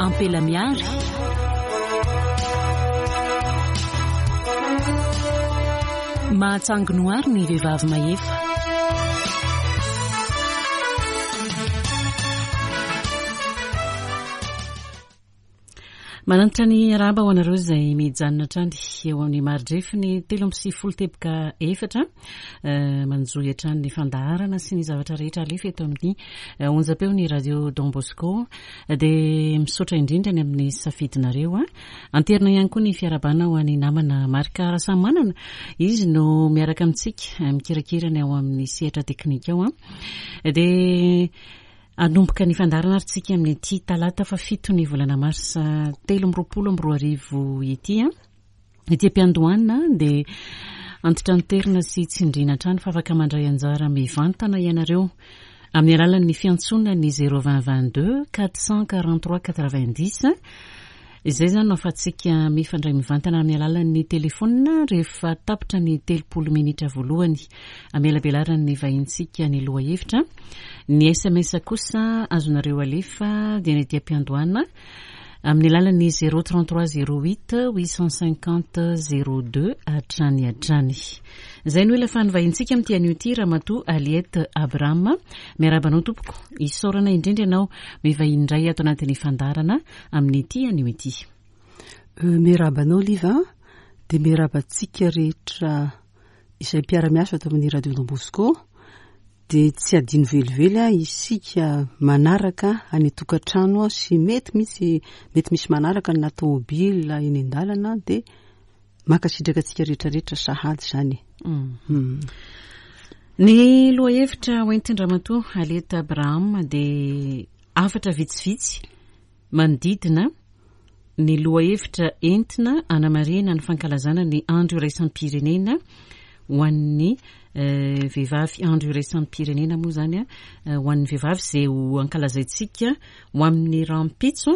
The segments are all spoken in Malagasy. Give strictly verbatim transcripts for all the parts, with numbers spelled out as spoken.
Ampela miary. Mahatsangy noary ny vehivavy mahefa. Manantitra ny arahaba ho anareo izay mijanona hatrany eo amin'ny maridrefy ny telo amby sivifolo teboka efatra, manjohy hatrany ny fandaharana sy ny zavatra rehetra alefa eto amin'ny onjam-peo ny Radio Don Bosco. Dia misaotra indrindra ny amin'ny safidinareo. Anterina ihany koa ny fiarahabana ho an'ny namana Marc Rasamanana, izy no miaraka amintsika mikirakira ny ao amin'ny sehatra teknika ao. Dia anomboka ny fandaharana ary tsika amin'ity talata fahafito ny volana marsa telo amby roapolo amby roa arivo ity. Ity am-piandohana dia antitranterina sy tsindriana hatrany fa afaka mandray anjara mivantana ianareo amin'ny alalan'ny fiantsoana ny zéro vingt vingt-deux quatre cent quarante-trois quatre-vingt-dix. Izay izany no ahafahantsika mifandray mivantana amin'ny alalan'ny telefônina rehefa tapitra ny telopolo minitra voalohany amelabelaran'ny vahintsika ny lohahevitra. Ny S M S kosa azonareo alefa dia ny ety am-piandohana amin'ny alalan'ny zéro trente-trois zéro huit huit cent cinquante zéro deux hatrany hatrany. Izay no ela fanovahintsika amin'ity anio ity, Ramatoa Aliette Abraham. Miarahaba anao tompoko, isaorana indrindra ianao mivahiny indray ato anatin'ny fandaharana amin'ity anio ity. Miarahaba anao Liva, dia miarahaba antsika rehetra izay mpiara-miasa ato amin'ny Radio Don Bosco. Dia tsy adino velively isika manaraka any an-tokantrano sy mety misy, mety misy manaraka na tômôbila eny an-dalana, dia mankasitraka antsika rehetrarehetra sahady izany. Mm. Ny lohahevitra hoentin-dRamatoa Aliette Abraham dia hafatra vitsivitsy manodidina ny lohahevitra entina anamarihana ny fankalazana ny andro iraisam-pirenena ho an'ny vehivavy. Andro iraisam-pirenena moa izany ho an'ny vehivavy izay ho ankalazaintsika ho amin'ny rahampitso,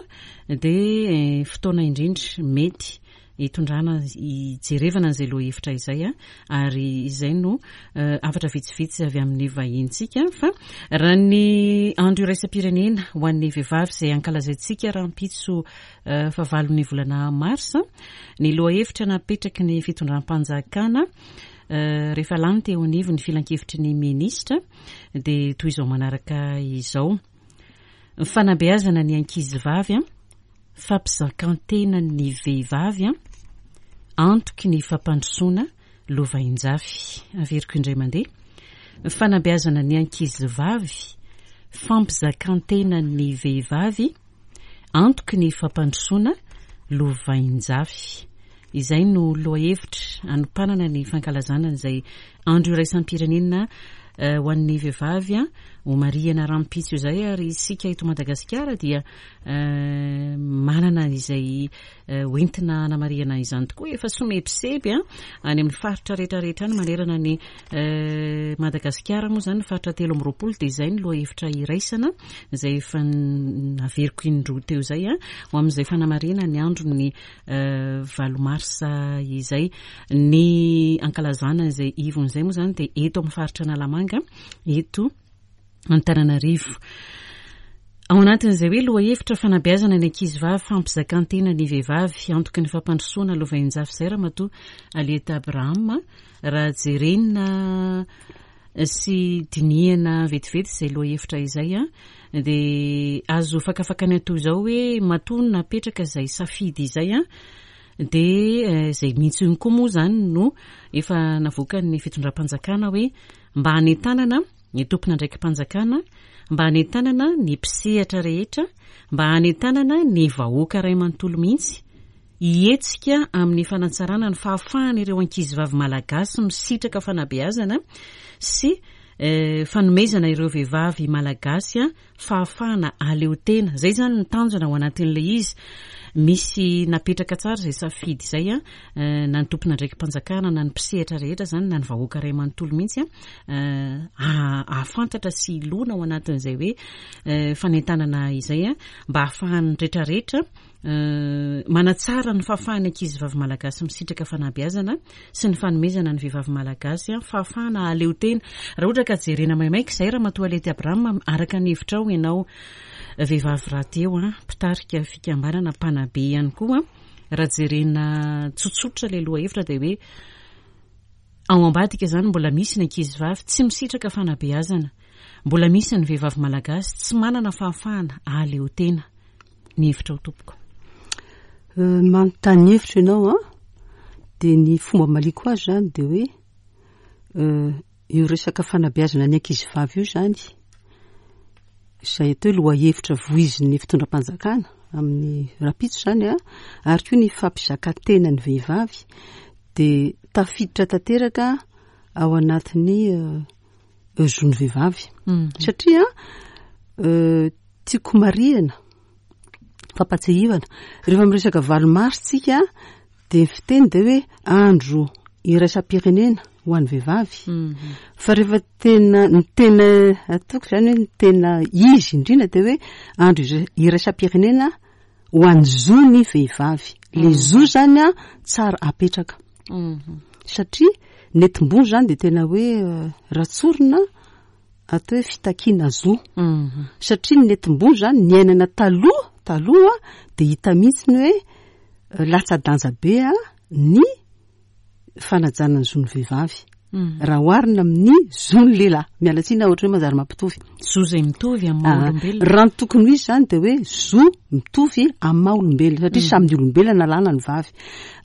dia fotoana indrindra mety hitondrana hijerevana an'izay lohahevitra izay, ary izay no hafatra vitsivitsy avy amin'ny vahintsika. Fa raha ny andro iraisam-pirenena ho an'ny vehivavy izay ankalazaintsika rahampitso fahavalon'ny volana marsa, ny lohahevitra napetraky ny fitondram-panjakana rehefa lany teo anivon'ny filankevitry ny minisitra dia toy izao manaraka izao: ny fanabeazana ny ankizy vavy, fampizakan-tena ny vehivavy, antoky ny fampandrosoana lovainjafy. Averiko indray mandeha: ny fanabeazana ny ankizy vavy, fampizakan-tena ny vehivavy, antoky ny fampandrosoana lovainjafy. Izay no lohahevitra anompanana ny fankalazana izay andro iraisam-pirenena ho an'ny vehivavy ho marihana rahampitso izay. Ary isika eto Madagasikara dia manana izay hoentina anamarihana izany tokoa. Efa somebiseby any amin'ny faritra rehetrarehetra any manerana ny Madagasikara moa izany, ny faritra telo amby roapolo, dia izay ny lohahevitra iraisana izay efa naveriko indroa teo izay ho amin'izay fanamarihana ny andron'ny valo marsa izay. Ny ankalazana izay ivon'izay moa izany dia eto amin'ny faritra Analamanga, eto Antananarivo. Ao anatin'izay hoe lohahevitra fanabeazana ny ankizy vavy, fampizakan-tena ny vehivavy, antoky ny fampandrosoana lovainjafy izay, Ramatoa Aliette Abraham, raha jerena sy dinihana vetivety izay lohahevitra izay, dia azo fakafakana toy izao hoe matoa napetraka izay safidy izay, dia izay mihitsy ihany koa moa izany no efa navoakan'ny fitondram-panjakana hoe mba hanentanana ny tompon'andraiki-panjakana, mba hanentanana ny mpisehatra rehetra, mba hanentanana ny vahoaka iray manontolo mihitsy hihetsika amin'ny fanatsarana ny fahafahan'ireo ankizy vavy malagasy misitraka fanabeazana sy fanomezana ireo vehivavy malagasy fahafahana aleo tena. Izay izany ny tanjona ao anatin'ilay izy. Misy napetraka tsara izay safidy izay, na ny tompon'andraiki-panjakana na ny mpisehatra rehetra izany, na ny vahoaka iray manontolo mihitsy ahafantatra sy hilona ao anatin'izay hoe fanentanana izay, mba hahafahan'ny rehetrarehetra manatsara ny fahafahan'ny ankizy vavy malagasy misitraka fanabeazana sy ny fanomezana ny vehivavy malagasy fahafahana aleo tena. Raha ohatra ka jerena maimaika izay, Ramatoa Aliette Abraham, araka ny hevitrao ianao Vehivavy rahateo a, mpitarika fikambanana, mpanabe ihany koa. Raha jerena tsotsotra ilay lohahevitra dia hoe ao ambadika izany mbola misy ny ankizy vavy tsy misitraka fanabeazana, mbola misy ny vehivavy malagasy tsy manana fahafahana ahaleo tena. Ny hevitra ho tompoko. Manontany hevitra ianao a, dia ny fomba maliko azy zany dia hoe io resaka fanabeazana ny ankizy vavy io zany, izay atao hoe lohahevitra voizin'ny fitondram-panjakana amin'ny rapitso zany a, ary koa ny fampizakatena ny vehivavy dia tafiditra tanteraka ao anatin'ny zon'ny vehivavy. Satria tiako marihana, fampatsiahivana, rehefa miresaka valo marsa tsika dia ny fiteny dia hoe andro iraisam-pirenena ho an'ny vehivavy. Fa rehefa tena ny tena ataoko zany hoe ny tena izy indrindra dia hoe andro iraisam-pirenena ho an'ny zon'ny vehivavy. Le zo zany a tsara apetraka. Satria nentim-bony zany dia tena hoe ratsorina atao hoe fitakiana zo. Satria ny nentim-bony zany niainana taloha taloha dia hita mihitsy ny hoe latsa-danja be a ny fanajana ny zon'ny vehivavy. Raha oharina amin'ny zon'ny lehilahy, miala tsiny ohatra hoe manjary mampitovy. Zo izay mitovy amin'ny maha olombelona. Raha ny tokony ho izy zany dia hoe zo mitovy amin'ny maha olombelona, satria samy olombelona na lahy na ny vavy.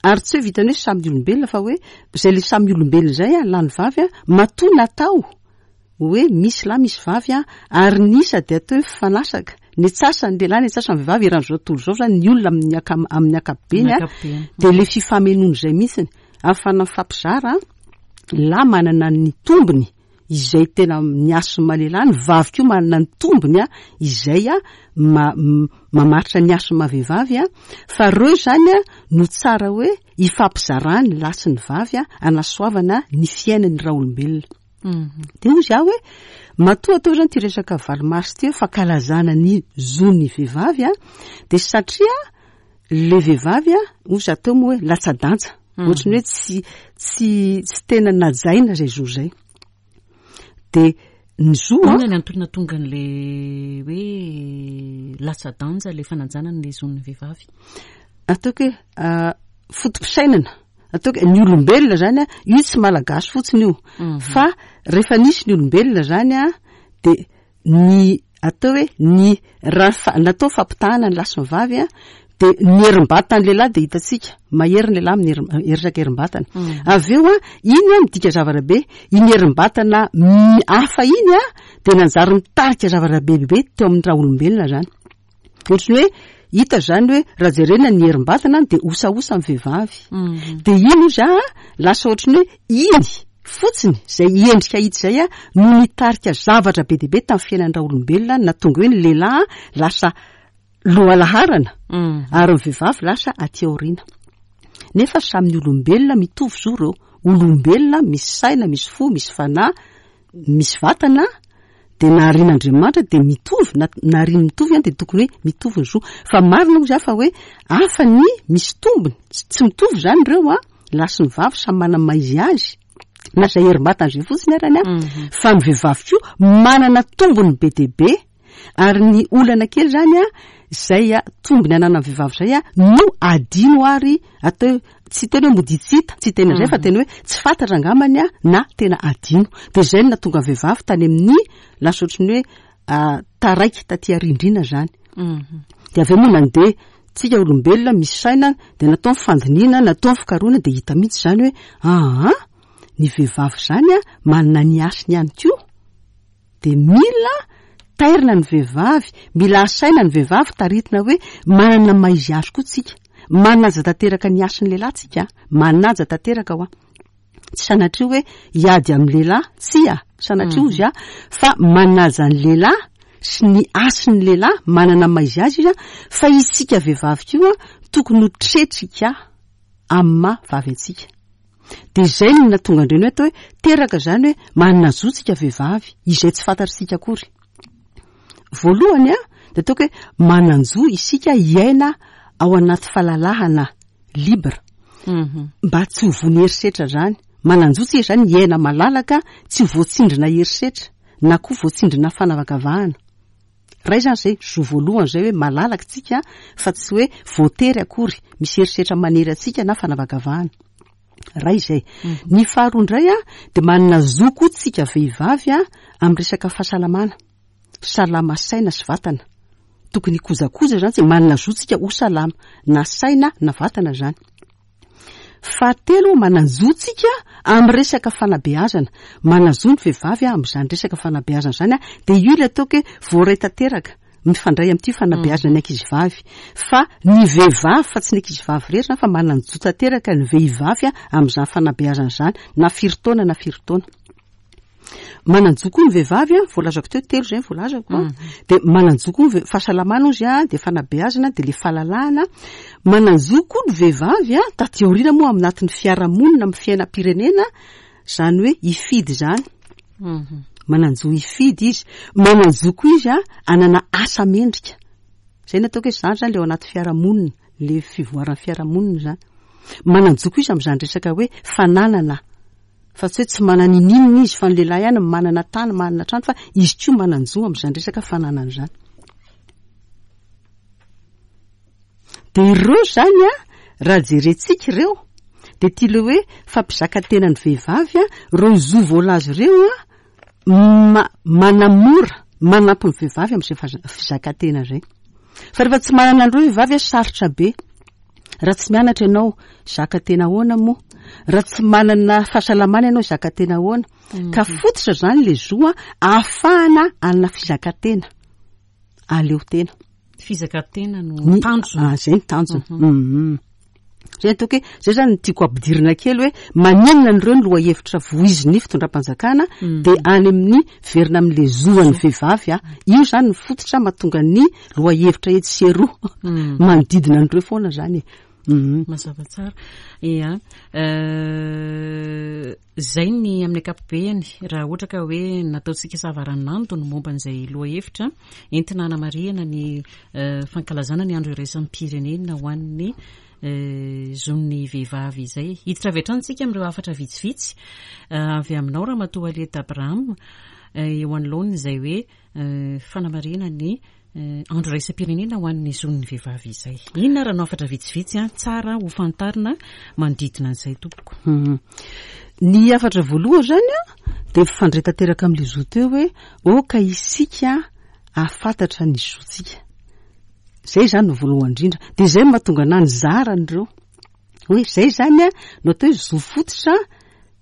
Ary tsy hoe vitany hoe samy olombelona fa hoe izay le samy olombelona izay a, lahy ny vavy a, matoa natao hoe misy lahy misy vavy a, ary ny isa dia atao hoe mifanasaka. Ny antsasany lehilahy, ny antsasany vehivavy eran'izao tontolo izao zany ny olona amin'ny aka- amin'ny ankapobeny a, dia le fifamenoana izay mihitsiny. Ahafahana mifampizara, lahy manana ny tombony izay tena ny hasina lehilahy, ny vavy koa manana ny tombony a, izay a ma- mamaritra ny hasina vehivavy a, fa ireo zany a no tsara hoe ifampizarany lahy sy ny vavy a, anasoavana ny fiainan'ny raolombelona. Dia hoy izaho hoe matoa atao zany ity resaka valo marsa ity hoe fankalazana ny zon'ny vehivavy a, dia satria le vehivavy a, hoy izaho teo moa hoe latsa-danja, ohatran'ny hoe tsy tsy tsy tena najaina izay zo izay. Dia ny zo a, Inona ny antony nahatonga an'le hoe latsa-danja le fanajana ny zon'ny vehivavy? Ataoko hoe foto-pisainana, ataoko hoe ny olombelona zany a, io tsy malagasy fotsiny io, fa rehefa nisy ny olombelona zany a, dia ny atao hoe ny raha natao fampitahana ny lahy sy ny vavy a, dia ny herim-batan'ny lehilahy dia hitantsika mahery ny lehilahy amin'ny herisaka herim-batana. Avy eo a, iny a midika zavatra be, iny herim-batana hafa iny a dia nanjary nitarika zavatra be be teo amin'ny raha olombelona zany. Ohatran'ny hoe hita zany hoe raha jerena ny herim-batana dia osaosa ny vehivavy. Dia iny ozy a lasa ohatran'ny hoe iny fotsiny izay endrika hita izay a no nitarika zavatra be dia be tamin'ny fiainan'ny raha olombelona, nahatonga hoe ny lehilahy lasa lohalaharana ary ny vehivavy lasa aty aoriana. Nefa samy ny olombelona mitovy zo ireo. Olombelona misy saina, misy fo, misy fanahy, misy vatana, dia naharian'Andriamanitra dia mitovy, na nahariany mitovy dia tokony hoe mitovy ny zo. Fa marina moa izany fa hoe hafa ny misy tombony, tsy mitovy izany ireo a, lahy sy ny vavy samy manana maha izy azy, na izay herim-batana izay fotsiny arany a, fa ny vehivavy koa manana tombony be dia be. Ary ny olana kely zany a, izay a tombony ananan'ny vehivavy izay a no adino ary atao tsy tena hoe mody tsy hita, tsy tena izay fa tena hoe tsy fantatra angambany a na tena adino. Dia izay no nahatonga ny vehivavy tany amin'ny lasa ohatran'ny hoe taraiky taty arindrina zany. Dia avy eo moa nandeha tsika olombelona misy saina dia natao ny fandinihana, natao ny fikarohana dia hita mihitsy izany hoe aha, ny vehivavy izany a manana ny hasiny ihany koa. Dia mila tairina ny vehivavy, mila asaina ny vehivavy taritina hoe manana maha izy azy koa tsika. Manaja tanteraka ny hasin'ny lehilahy tsika, manaja tanteraka hoa. Tsy sanatria hoe hiady amin'ny lehilahy, tsia, sanatria hozy a, fa manaja ny lehilahy sy ny hasin'ny lehilahy, manana maha izy azy izy a, fa isika vehivavy koa tokony ho tretrika amin'ny maha vavy antsika. Dia izay no nahatonga andreny hoe atao hoe teraka izany hoe manana zo tsika vehivavy, izay tsy fantatritsika akory. Voalohany a, dia ataoko hoe manan-jo isika hiaina ao anaty fahalalahana libre. Mba tsy ho voan'ny herisetra izany. Manan-jo tsika izany hiaina malalaka, tsy ho voatsindrina herisetra na koa voatsindrina fanavakavahana. Ray izany izay zo voalohany izay hoe malalaka tsika fa tsy hoe voatery akory misy herisetra manery antsika na fanavakavahana. Ray izay. Ny faharoa indray a dia manana zo koa tsika vehivavy a amin'ny resaka fahasalamana. Salama saina sy vatana. Tokony hikojakoja izany tsika, manana zo tsika ho salama na saina na vatana izany. Fahatelo, manan-jo tsika amin'ny resaka fanabeazana. Manan-jo ny vehivavy amin'izany resaka fanabeazana izany, dia io ilay ataoko hoe voaray tanteraka mifandray amin'ity fanabeazana ny ankizivavy. Fa ny vehivavy, fa tsy ny ankizivavy irery izany, fa manan-jo tanteraka ny vehivavy amin'izany fanabeazana izany, na firy taona na firy taona. Manan-jo koa ny vehivavy, voalazako teo, telo izay ny voalazako, dia manan-jo koa ny fahasalamana ozy, dia fanabeazana, dia ilay fahalalahana. Manan-jo koa ny vehivavy, taty aoriana moa amin'ny anatin'ny fiarahamonina, amin'ny fiainam-pirenena, izany hoe hifidy izany. Manan-jo hifidy izy. Manan-jo koa izy hanana asa mendrika. Izay no ataoko hoe izany izany ilay ao anaty fiarahamonina, ilay fivoaran'ny fiarahamonina izany. Manan-jo koa izy amin'izany resaka hoe fananana. Fa tsy hoe tsy manana ininona izy, fa ny lehilahy ihany manana tany, manana trano, fa izy koa manan-jo amin'izany resaka fananana izany. Dia ireo izany a, raha jerentsika ireo, dia ity ilay hoe fampizakantena ny vehivavy a, ireo zo voalaza ireo a, ma-, manamora, manampy ny vehivavy amin'izay faza-, fizakantena izay. Fa rehefa tsy manana an'ireo vehivavy a, sarotra be. Raha tsy mianatra ianao, zakatena ahoana moa? Raha tsy manana fahasalamana ianao, zakatena ahoana? Ka fototra izany ilay zo a, ahafahana hanana fizakantena. Aleo tena. Fizakantena no Ny tanjona. Ah, izay ny tanjona. Mhm. Izay ataoko hoe, izay izany no tiako ampidirina kely hoe maninona an'ireo ny lohahevitra voizin'ny fitondram-panjakana, Mhm. dia any amin'ny verina amin'ilay zo an'ny vehivavy a. Io izany ny fototra mahatonga ny lohahevitra etsy sy eroa. Mhm. Manodidina an'ireo foana izany e. Mhm. Mazava tsara. Ia. Euh, izay ny amin'ny ankapobeny, raha ohatra ka hoe nataontsika savaranando ny momba an'izay lohahevitra entina hanamarihana ny, euh, fankalazana ny andro iraisam-pirenena ho an'ny, euh, zon'ny vehivavy izay. Hiditra avy hatrany isika amin'ireo hafatra vitsivitsy, euh, avy aminao Ramatoa Aliette Abraham, euh, eo anoloana izay hoe, euh, fanamarihana ny, euh, andro iraisam-pirenena ho an'ny zon'ny vehivavy izay. Inona raha no hafatra vitsivitsy a, tsara ho fantarina manodidina an'izay tompoko? Mhm. Ny hafatra voalohany izany a, dia mifandray tanteraka amin'ilay zo teo hoe aoka isika hahafantatra ny zontsika. Izay izany no voalohany indrindra. Dia izay no mahatonga anahy nizara an'ireo. Hoe izay izany a, no atao hoe zo fototra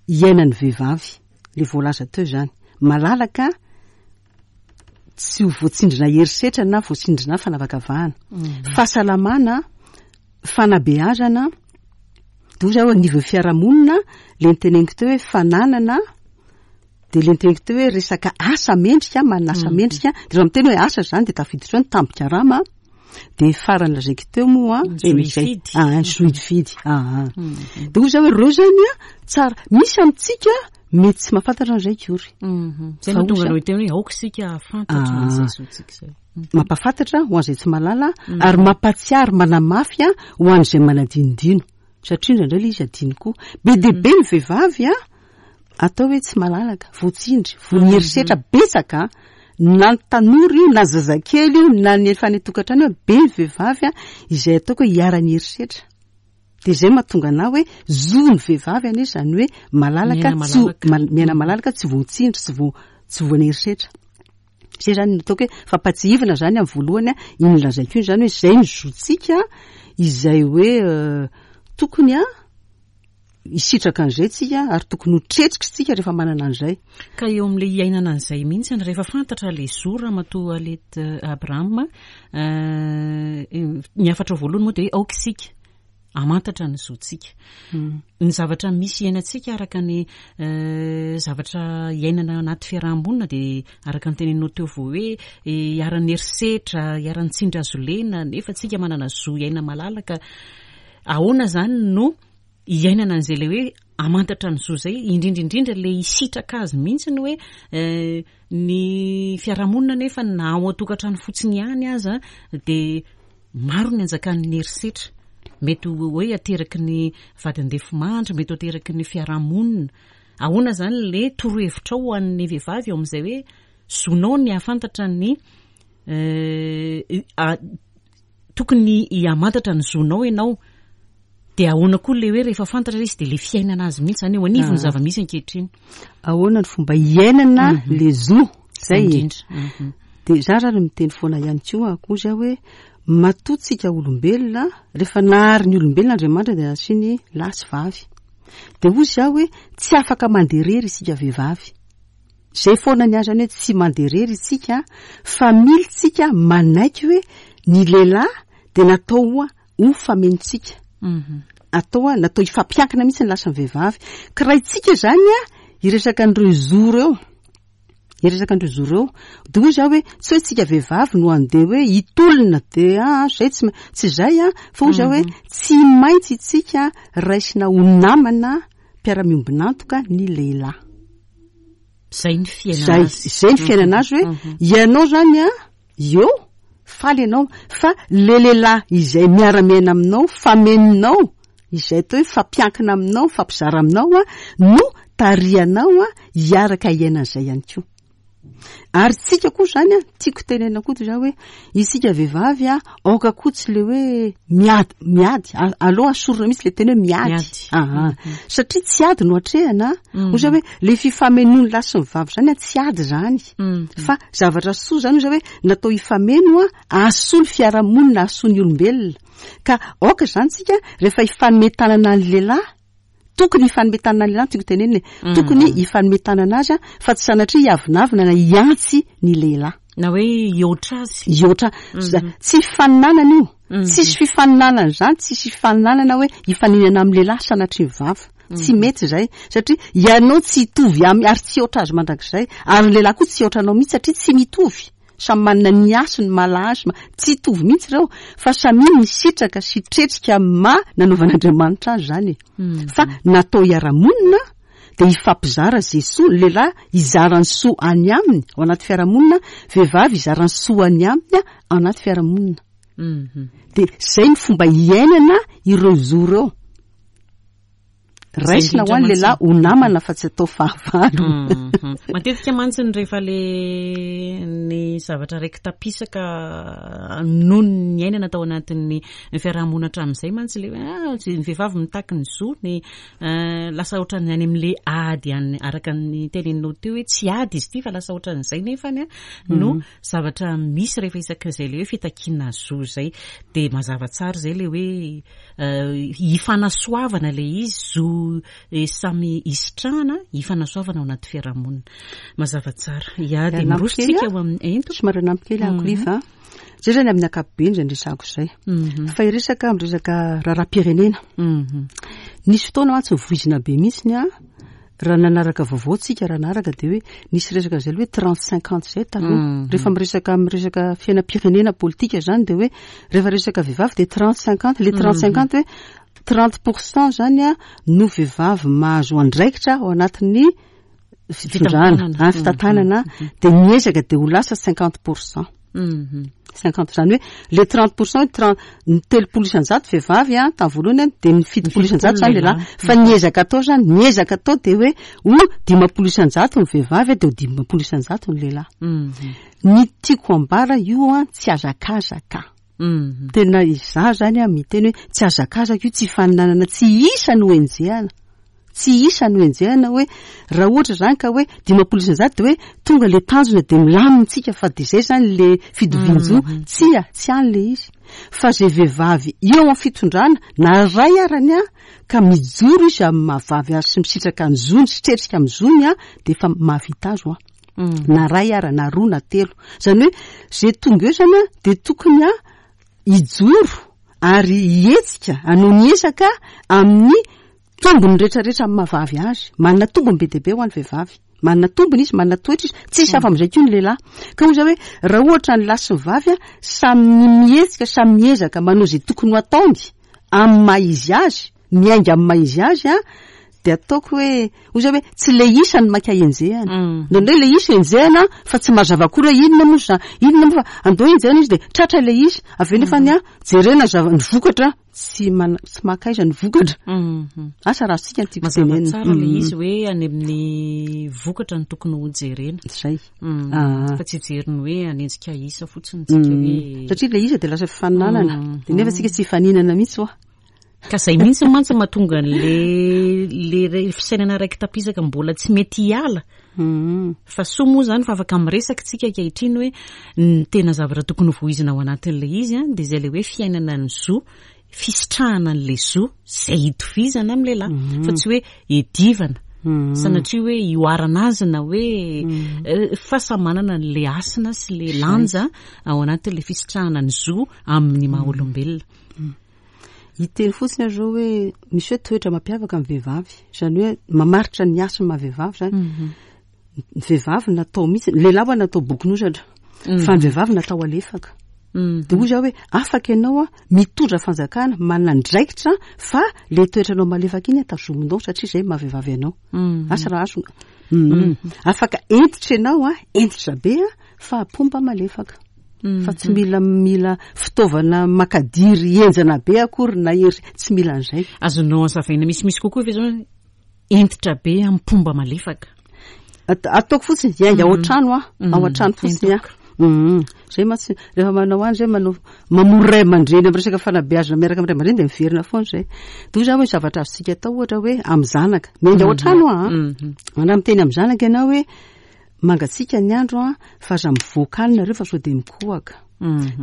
iainan'ny vehivavy. Ilay voalaza teo izany. Malalaka, tsy ho voatsindrina herisetra na voatsindrina fanavakavahana. Mhm. Fahasalamana, fanabeazana, dia hoy zaho anivon'ny fiarahamonina, ilay niteneniko teo hoe fananana, dia ilay niteneniko teo hoe resaka asa mendrika, manana asa Mhm. mendrika. Dia raha miteny hoe asa izany dia tafiditra eo ny tambin-karama, dia farany lazaiko teo moa, Ny zo eh, izay. hifidy. Ah, ny zo hifidy. Ah, ah. Mhm. Dia hoy zaho hoe ireo izany a, tsara. Misy amintsika mety tsy mahafantatra an'izay akory. Mhm. Izay Fa no tonga hoy anao hiteny hoe aoka isika hahafantatra Ah. an'izay zontsika izay. Mhm. Mampahafantatra ho an'izay tsy mahalala, Mhm. ary mampahatsiaro, manamafy a, ho an'izay manadinodino. Satria indraindray ilay izy adino koa. Be dia be ny vehivavy a, atao hoe tsy malalaka, voatsindry, voan'ny herisetra betsaka, na ny tanora io, na zazakely io, na ny efa any an-tokantrano io, be ny vehivavy a, izay ataoko hoe iharan'ny herisetra. Dia izay mahatonga anahy hoe zo ny vehivavy anie izany hoe malalaka, Miaina tsy ho- malalaka. mal-, miaina malalaka, tsy voatsindry, tsy vo-, tsy voan'ny herisetra. Izay izany no ataoko hoe fampahatsiahivana izany amin'ny voalohany a, iny lazaiko iny izany hoe izay ny zontsika, izay hoe, euh, tokony a, hisitraka an'izay tsika, ary tokony ho tretrika isika rehefa manana an'izay. Ka eo amin'ilay iainana an'izay mihitsy, rehefa fantatra ilay zo Ramatoa Aliette Abraham, euh, ny hafatra voalohany moa dia hoe aoka isika hamantatra ny zontsika. Hmm. Ny zavatra misy iainantsika araka ny, euh, zavatra iainana anaty fiarahamonina dia araka ny teneninao teo vao hoe, eh, iharan'ny herisetra, iharan'ny tsindry hazo lena, nefa tsika manana zo iaina malalaka. Ahoana izany no iainana an'izay ilay hoe hamantatra ny zo izay, indrindra indrindra ilay hisitraka azy mihitsy ny hoe, eh, ny fiarahamonina nefa na ao an-tokantrano fotsiny ihany aza dia maro ny anjakan'ny herisetra. Mety ho hoe ateraky ny vady andefimandry, mety ho ateraky ny fiarahamonina. Ahoana izany ilay torohevitra ho an'ny vehivavy eo amin'izay hoe zonao ny hahafantatra ny, Tokony hiamantatra ny zonao ianao, de ahoana koa le hoe rehefa fantatra izy de le fiainana azy mihitsy zany eo anivony Ah. zava-misy ankehitriny? Ahoana ny fomba iainana le zo zay e? Indrindra. Mhm. De za raha miteny foana ihany koa akozy aho hoe matoa olombelona, rehefa nahary ny olombelona Andriamanitra de nasiany lahy sy vavy, de hozy aho hoe tsy afaka mandeha rery isika vehivavy. Zay foana ny azy zany hoe tsy mandeha rery isika, fa mila tsika manaiky hoe ny lehilahy de natao ho famenontsika, Mhm. atao a natao hifampiankina mihitsy ny lahy sy ny vehivavy. Ka raha itsika zany a hiresaka an'ireo zo reo, hiresaka an'ireo zo reo, de hoy za hoe tsy hoe tsika vehivavy no andeha hoe hitolona de ah zay tsy ma- tsy zay a, fa hoy za hoe tsy maintsy itsika raisina ho namana mpiara-miombon'antoka ny lehilahy. Zay ny fiainana Zay azy. zay ny fiainana azy hoe ianao zany a eo faly ianao, fa le lehilahy izay miara-miaina aminao, famenonao, izay atao hoe fampiankina aminao, fampizara aminao a no tarihanao a hiaraka hiainan'izay ihany koa. Ary tsika koa zany a tiako tenena koa toy zany hoe isika vehivavy a aoka koa tsy le hoe miady miady A- aloha asorina mihitsy le teny hoe miady. Miady. Aha. Satria tsy ady no atrehana. Hoy za hoe le fifamenoany lahy sy ny vavy zany a tsy ady zany, Mhm. fa zavatra soa zany. Hoy za hoe natao hifameno a ahasoa ny fiarahamonina, ahasoa ny olombelona. Ka aoka zany tsika rehefa hifanome tanana ny lehilahy, tokony hifanome tanana ny lehilahy, tiako tenenina e, tokony hifanome tanana azy a, fa tsy sanatria hiavonavona na hiantsy ny lehilahy na hoe hihoatra azy. Hihoatra. Za- tsy fifaninanana io, tsisy fifaninanana zany, tsisy fifaninanana hoe hifaninana amin'ny lehilahy sanatria ny vava. Tsy mety zay, satria ianao tsy hitovy amy ary tsy hihoatra azy mandrakizay, ary ny lehilahy koa tsy hihoatra anao mihitsy, satria tsy mitovy, samy manana ny hasiny malahazy, ma- tsy hitovy mihitsy ireo, fa samy misitraka sy tretrika ma nanaovan'Andriamanitra azy zany e. Fa natao hiara-monina de hifampizara zay soa. Ny lehilahy hizara ny soa any aminy ao anaty fiarahamonina, vehivavy hizara ny soa any aminy a ao anaty fiarahamonina. Mhm. De zay ny fomba iainana ireo zo reo. Raisina ho any lehilahy ho namana fa tsy atao fahavalo. Mhm. Matetika mantsy ny rehefa le ny zavatra raiky tapisaka noho ny iainana tao anatin'ny fiarahamonina hatramin'izay mantsy le hoe ah, tsy- ny vehivavy mitaky ny zo ny eh, lasa ohatran'ny any amin'le ady any, araka ny teneninao teo hoe tsy ady izy ity fa lasa ohatran'izay, nefany a no zavatra misy rehefa isak'izay le hoe fitakiana zo zay, de mazava tsara zay le hoe eh, hifanasoavana le izy, zo eh, samy isitrahana, hifanasoavana ao anaty fiarahamonina. Mazava tsara ia, de Anampy miroso kely tsika a? ho amin'ny ento. Somary anampy kely ako liva zay zany amin'ny ankapobeny zay ndresako zay, Mhm. fa iresaka amin'ny resaka raharaham-pirenena. Mhm. Nisy fotoana mantsy voizina be mihitsy a raha nanaraka vaovao tsika, raha naraka de hoe nisy resaka zay aloha hoe trente cinquante zay taloha. Mhm. Rehefa miresaka miresaka fiainam-pirenena politika zany, de hoe rehefa resaka vehivavy de trente cinquante, le trente cinquante hoe trente pourcent zany a no vehivavy mahazo andraikitra ao anatin'ny fitondrana, Fitantanana. ah, fitantanana, de miezaka de ho lasa cinquante pourcent. Mhm. Cinquante zany hoe le trente pourcent hoe trente, ny telopolo isanjato vehivavy a tamin'ny voalohany a, de ny fitopolo isanjato zany lehilahy, fa niezaka atao zany, niezaka atao de hoe ho dimampolo isanjato ny vehivavy a, de ho dimampolo isanjato ny lehilahy. Mhm. Ny tiako ambara io a tsy azakazaka. Mhm. Tena izaho zany a miteny hoe tsy azakazaka io, tsy faninanana, tsy isa no enjehana, tsy isa no enjehana hoe raha ohatra zany ka hoe dimampolo isanjato de hoe tonga le tanjona de milamina tsika, fa de zay zany le fitovian-jo. Tsia, tsy any le izy, fa zay vehivavy eo amin'ny fitondrana na ray arany a ka mijoro izy amin'ny mahavavy azy sy misitraka ny zony sy tretrika amin'ny zony a, de efa mahavita azy ho a Mhm. na ray ara na roa na telo zany hoe zay tonga eo zany a de tokony a hijoro ary hihetsika hanao ny ezaka amin'ny tombony rehetrarehetra amin'ny mahavavy azy. Manana tombony be dia be ho an'ny vehivavy, manana tombony izy, manana toetra izy, tsisy hafa amin'izay koa ny lehilahy. Ka hoy za hoe raha ohatra ny lahy sy ny vavy a samy mihetsika, samy miezaka manao izay tokony ho ataony amin'ny maha izy azy, miainga amin'ny maha izy azy a De ataoko hoe hoy zay hoe tsy le isa ny maika enjehana. Indraindray le isa enjehana fa tsy mazava akory hoe inona moa za, inona moa fa andao enjehana izy de tratra le isa. Avy eo nefany a jerena zava ny vokatra tsy mana, tsy makaiza ny vokatra. Asa raha azontsika ny tiako Mazava tenenina. tsara le izy hoe any amin'ny vokatra no tokony ho jerena. Zay. Mm. Ah. Fa tsy hijery ny hoe hanenjika isa fotsiny tsika hoe Satria le isa de lasa fifaninanana. Mm. De nefa tsika tsy hifaninana mihitsy hoa. Ka zay mihitsy mantsy mahatonga an'le le re- fisainana raiky tapisaka mbola tsy mety hiala. Mm. Fa soa moa zany fa afaka miresaka tsika ankehitriny hoe ny tena zavatra tokony hovoizina ao anatin'le izy a, de zay le hoe fiainana ny zo, fisitrahana an'le zo zay hitovizana amin'ny lehilahy, fa tsy hoe edivana. Mm. Sanatria hoe ioharana azy na hoe eh, fa samy manana an'le hasina sy le lanja ao anatin'le fisitrahana ny zo amin'ny maha olombelona. Hiteny fotsiny aho zao hoe misy hoe toetra mampiavaka ny vehivavy, izany hoe mamaritra ny hasin'ny maha vehivavy zany. Ny vehivavy natao mihitsy, ny lehilahy ho'a natao bokin'ozatra, fa ny vehivavy natao alefaka. De hoy zaho hoe afaka ianao a mitondra fanjakana, manana andraikitra, fa le toetranao malefaka iny tazominao satria zay maha vehivavy anao. Asa raha azo. Mm. Afaka hentitra ianao a, hentitra be a, fa pomba malefaka. Fa tsy mila mila fitaovana makadiry henjana be akory na hery, tsy mila an'izay. Azonao azavaina misimisy kokoa ve zao hoe hentitra be amin'ny pomba malefaka? At-, ataoko fotsiny, hiainga ao an-trano aho, ao an-trano fotsiny aho. Mm. Zay mantsy rehefa manao any zay manao mamory ray aman-dreny amin'ny resaka fanabeazana miaraka amin'ny ray aman-dreny de miverina foana zay. De hoy zaho hoe zavatra azontsika atao ohatra hoe amin'ny zanaka, miainga ao an-trano aho, a. Raha miteny amin'ny zanaka ianao hoe mangatsiaka ny andro a, fa aza mivoaka any nareo fa sao de mikohaka.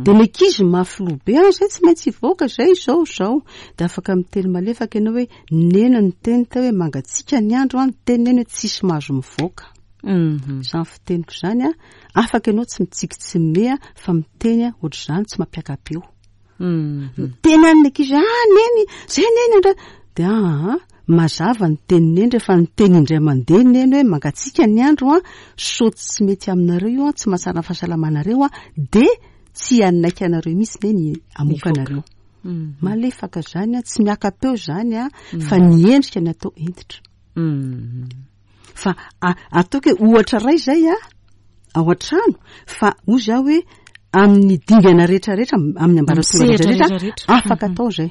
De ny ankizy mafy loha be, ah, zay tsy maintsy hivoaka, zay izao, izao. De afaka miteny malefaka ianao hoe nena ny teny teo hoe mangatsiaka ny andro a, ny teny nena hoe tsisy mahazo mivoaka. Izany fiteniko izany a, afaka ianao tsy mitsiky tsy mimehy a, fa miteny a, ohatr'izany tsy mampiaka-peo. Miteny any ny ankizy, ah, neny, zay neny andra. De ah, ah, mazava ny teny neny rehefa niteny indray mandeha neny hoe mangatsiaka ny andro a, sao tsy mety aminareo io a, tsy mahatsara ny fahasalamanareo a, de tsy hanaiky anareo mihitsy neny hamoaka anareo. Malefaka zany a, tsy miaka-peo zany a, fa ny endrika ny atao hentitra. Fa a-, ataoko hoe ohatra iray zay a, ao an-trano, fa hoy zaho hoe amin'ny dingana rehetrarehetra, amin'ny ambaratonga Amin'ny sehatra rehetrarehetra, rehetrarehetra. afaka atao zay.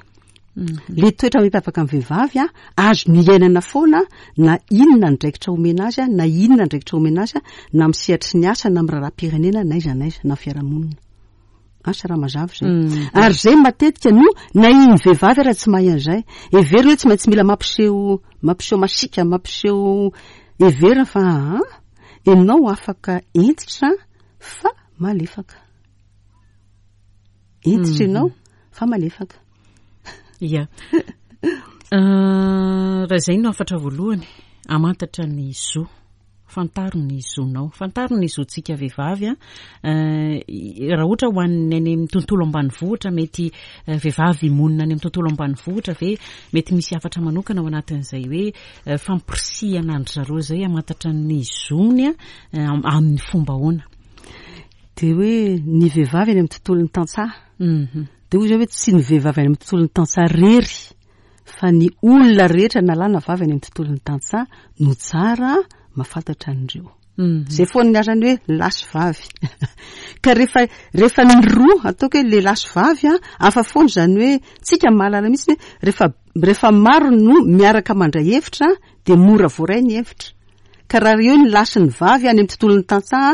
Le toetra mampiavaka ny vehivavy a, azo ny iainana foana, na inona andraikitra omena azy a, na inona andraikitra omena azy a, na amin'ny sehatry ny asa, na amin'ny raharaham-pirenena, na aiza na aiza, na fiarahamonina. Asa raha mazava zay. Ary zay matetika no na iny vehivavy raha tsy mahay an'izay. Heverina hoe tsy maintsy mila mampiseho, mampiseho masiaka, mampiseho heverina fa, ah, ianao afaka hentitra fa malefaka. Hentitra ianao fa malefaka. Ia. Eh, raha izay no hafatra voalohany, hamantatra ny zo. Fantaro ny zonao, fantaro ny zontsika vehivavy a. Eh, raha ohatra ho an'ny any amin'ny tontolo ambanivohitra, mety, eh, vehivavy monina any amin'ny tontolo ambanivohitra ve mety misy hafatra manokana ao anatin'izay hoe, eh, fampirisihana an-dry zareo izay hamantatra ny zony a, eh, am-, amin'ny fomba ahoana? De hoe ny vehivavy any amin'ny tontolon'ny tantsaha. Mhm. De hoy zao hoe tsy ny vehivavy any amin'ny tontolon'ny tantsaha rery, fa ny olona rehetra na lahy na vavy any amin'ny tontolon'ny tantsaha no tsara mahafantatra an'ireo. Mhm. Zay foana ny asany hoe lahy sy vavy. Ka rehefa, rehefa ny roa, ataoko hoe lehilahy sy vavy a, hafa foana izany hoe tsika mahalala mihitsy hoe rehefa, rehefa maro no miaraka mandray hevitra de mora voaray ny hevitra. Ka raha eo ny lahy sy ny vavy any amin'ny tontolon'ny tantsaha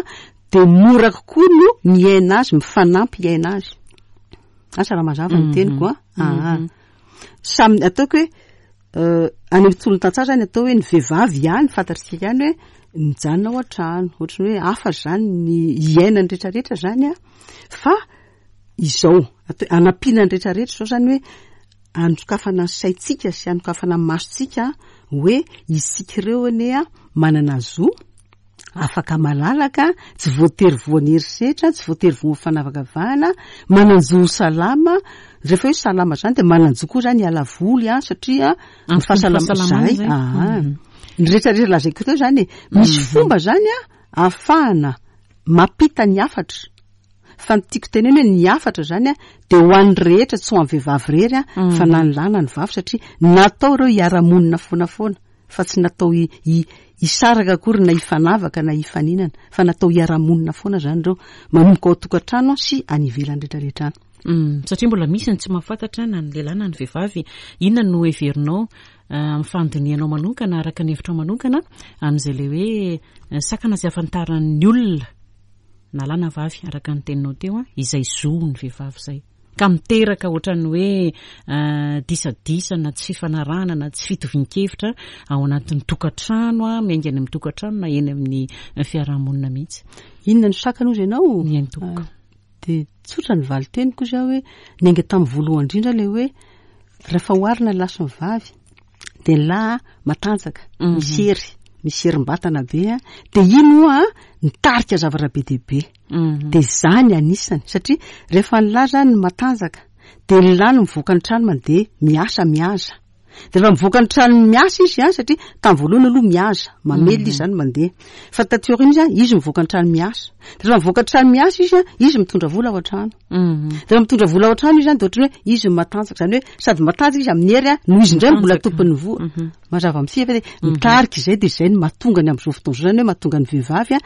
de mora kokoa no miaina azy, mifanampy hiaina azy. Asa raha mazava ny Mhm. teniko a. Mhm. Ah, ah. Samy ataoko hoe, euh, any amin'ny tontolon'ny tantsaha zany atao hoe ny vehivavy ihany, fantatsika ihany hoe mijanona ao an-trano, ohatran'ny hoe hafa zany ny iainany rehetrarehetra zany a. Fa izao, atao hoe anampiana ny rehetrarehetra izao zany hoe anokafana ny saintsika sy anokafana ny masontsika hoe isika ireo anie a manana zo, afaka malalaka, tsy voatery voan'ny herisetra, tsy voatery voan'ny fanavakavahana, manan-jo ho salama. Rehefa hoe salama zany dia manan-jo koa zany hiala voly a, satria ny Amin'ny fahasalama fahasalamana zay. zay. Ah, Mhm. ny rehetrarehetra lazaiko teo zany e, misy Mhm. fomba zany a ahafahana mampita ny hafatra. Fa ny tiako tenena hoe ny hafatra zany a dia ho an'ny rehetra, tsy ho an'ny vehivavy rery a, Mhm. fa na ny lahy na ny vavy, satria natao ireo hiara-monina foana foana. fa tsy natao hisaraka akory na hifanavaka na hifaninana, fa natao hiara-monina foana zany ireo, manomboka ao an-tokantrano sy any ivelany rehetrarehetra any. Mm, satria mbola misy ny tsy mahafantatra na ny lehilahy na ny vehivavy. Inona no heverinao amin'ny fandinihanao manokana, araka ny hevitrao manokana, amin'izay le hoe sakana sy ahafantaran'ny olona na lahy na vavy, araka ny teninao teo, a izay zo ny vehivavy izay ka miteraka ohatran'ny hoe disadisa na tsy fifanarahana na tsy fitovian-kevitra ao anatin'ny tokantrano, a miainga any amin'ny tokantrano na eny amin'ny fiarahamonina mihitsy? Inona ny sakana ozy ianao? Ny tompoko. Dia tsotra ny valiteniko izy aho hoe niainga tamin'ny voalohany indrindra le hoe rehefa oharina ny lahy sy ny vavy dia ny lahy matanjaka, misy hery, misy herim-batana be, a dia iny oa nitarika zavatra be dia be. Dia zany anisany, satria rehefa ny lahy zany matanjaka dia ny lahy no mivoaka ny trano mandeha miasa, mihaza. Dia rehefa mivoaka ny trano miasa izy a, satria tamin'ny voalohany aloha mihaza, mamelona izy zany mandeha, fa taty aoriana izy a, izy mivoaka ny trano miasa. Dia rehefa mivoaka ny trano miasa izy a, izy mitondra vola ao an-trano. Dia rehefa mitondra vola ao an-trano izy zany dia ohatran'ny hoe izy no matanjaka, zany hoe sady matanjaka izy amin'ny hery a no izy indray mbola tompon'ny vola. Mazava amintsika fa dia mitarika izay, dia izay no mahatonga ny amin'izao fotoana izao zany hoe mahatonga ny vehivavy a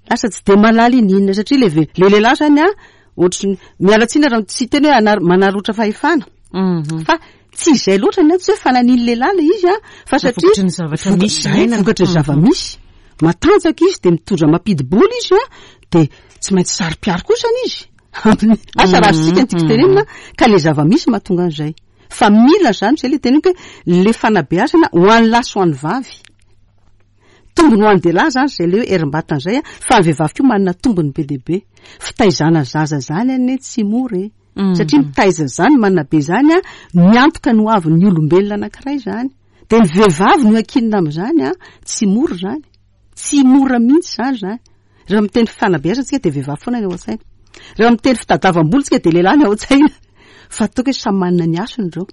lasa tsy dia mahalala ininona, satria le ve- le lehilahy zany a ohatry ny miala tsiny raha tsy teny hoe anar- manarotra fahefana, fa tsy izay loatra ny tsy hoe fananiny lehilahy le izy a, fa satria vokatry ny zavatra misy zay, iainana. Vokatry ny zava-misy, matanjaka izy dia mitondra mampidi-bola izy a, dia tsy maintsy saro-piaro kosany izy. Asa raha azontsika ny tiako tenenina, ka le zava-misy mahatonga an'izay. Fa mila zany zay le teneniko hoe le fanabeazana ho an'ny lahy sy ho an'ny vavy. Tombony ho an'ny lehilahy zany zay le hoe herim-batana zay a, fa ny vehivavy koa manana tombony be dia be. Fitaizana zaza zany anie tsy mora e. Satria mitaiza zany, manabe zany a, miantoka ny ho avin'ny olombelona anankiray zany. Dia ny vehivavy no ankinina amin'izany a, tsy mora zany. Tsy mora mihitsy zany zany. Rehefa miteny fanabeazana tsika dia vehivavy foana ny ao an-tsaina. Rehefa miteny fitadiavam-bola tsika dia lehilahy ny ao an-tsaina. Fa ataoko hoe samy manana ny hasiny ireo.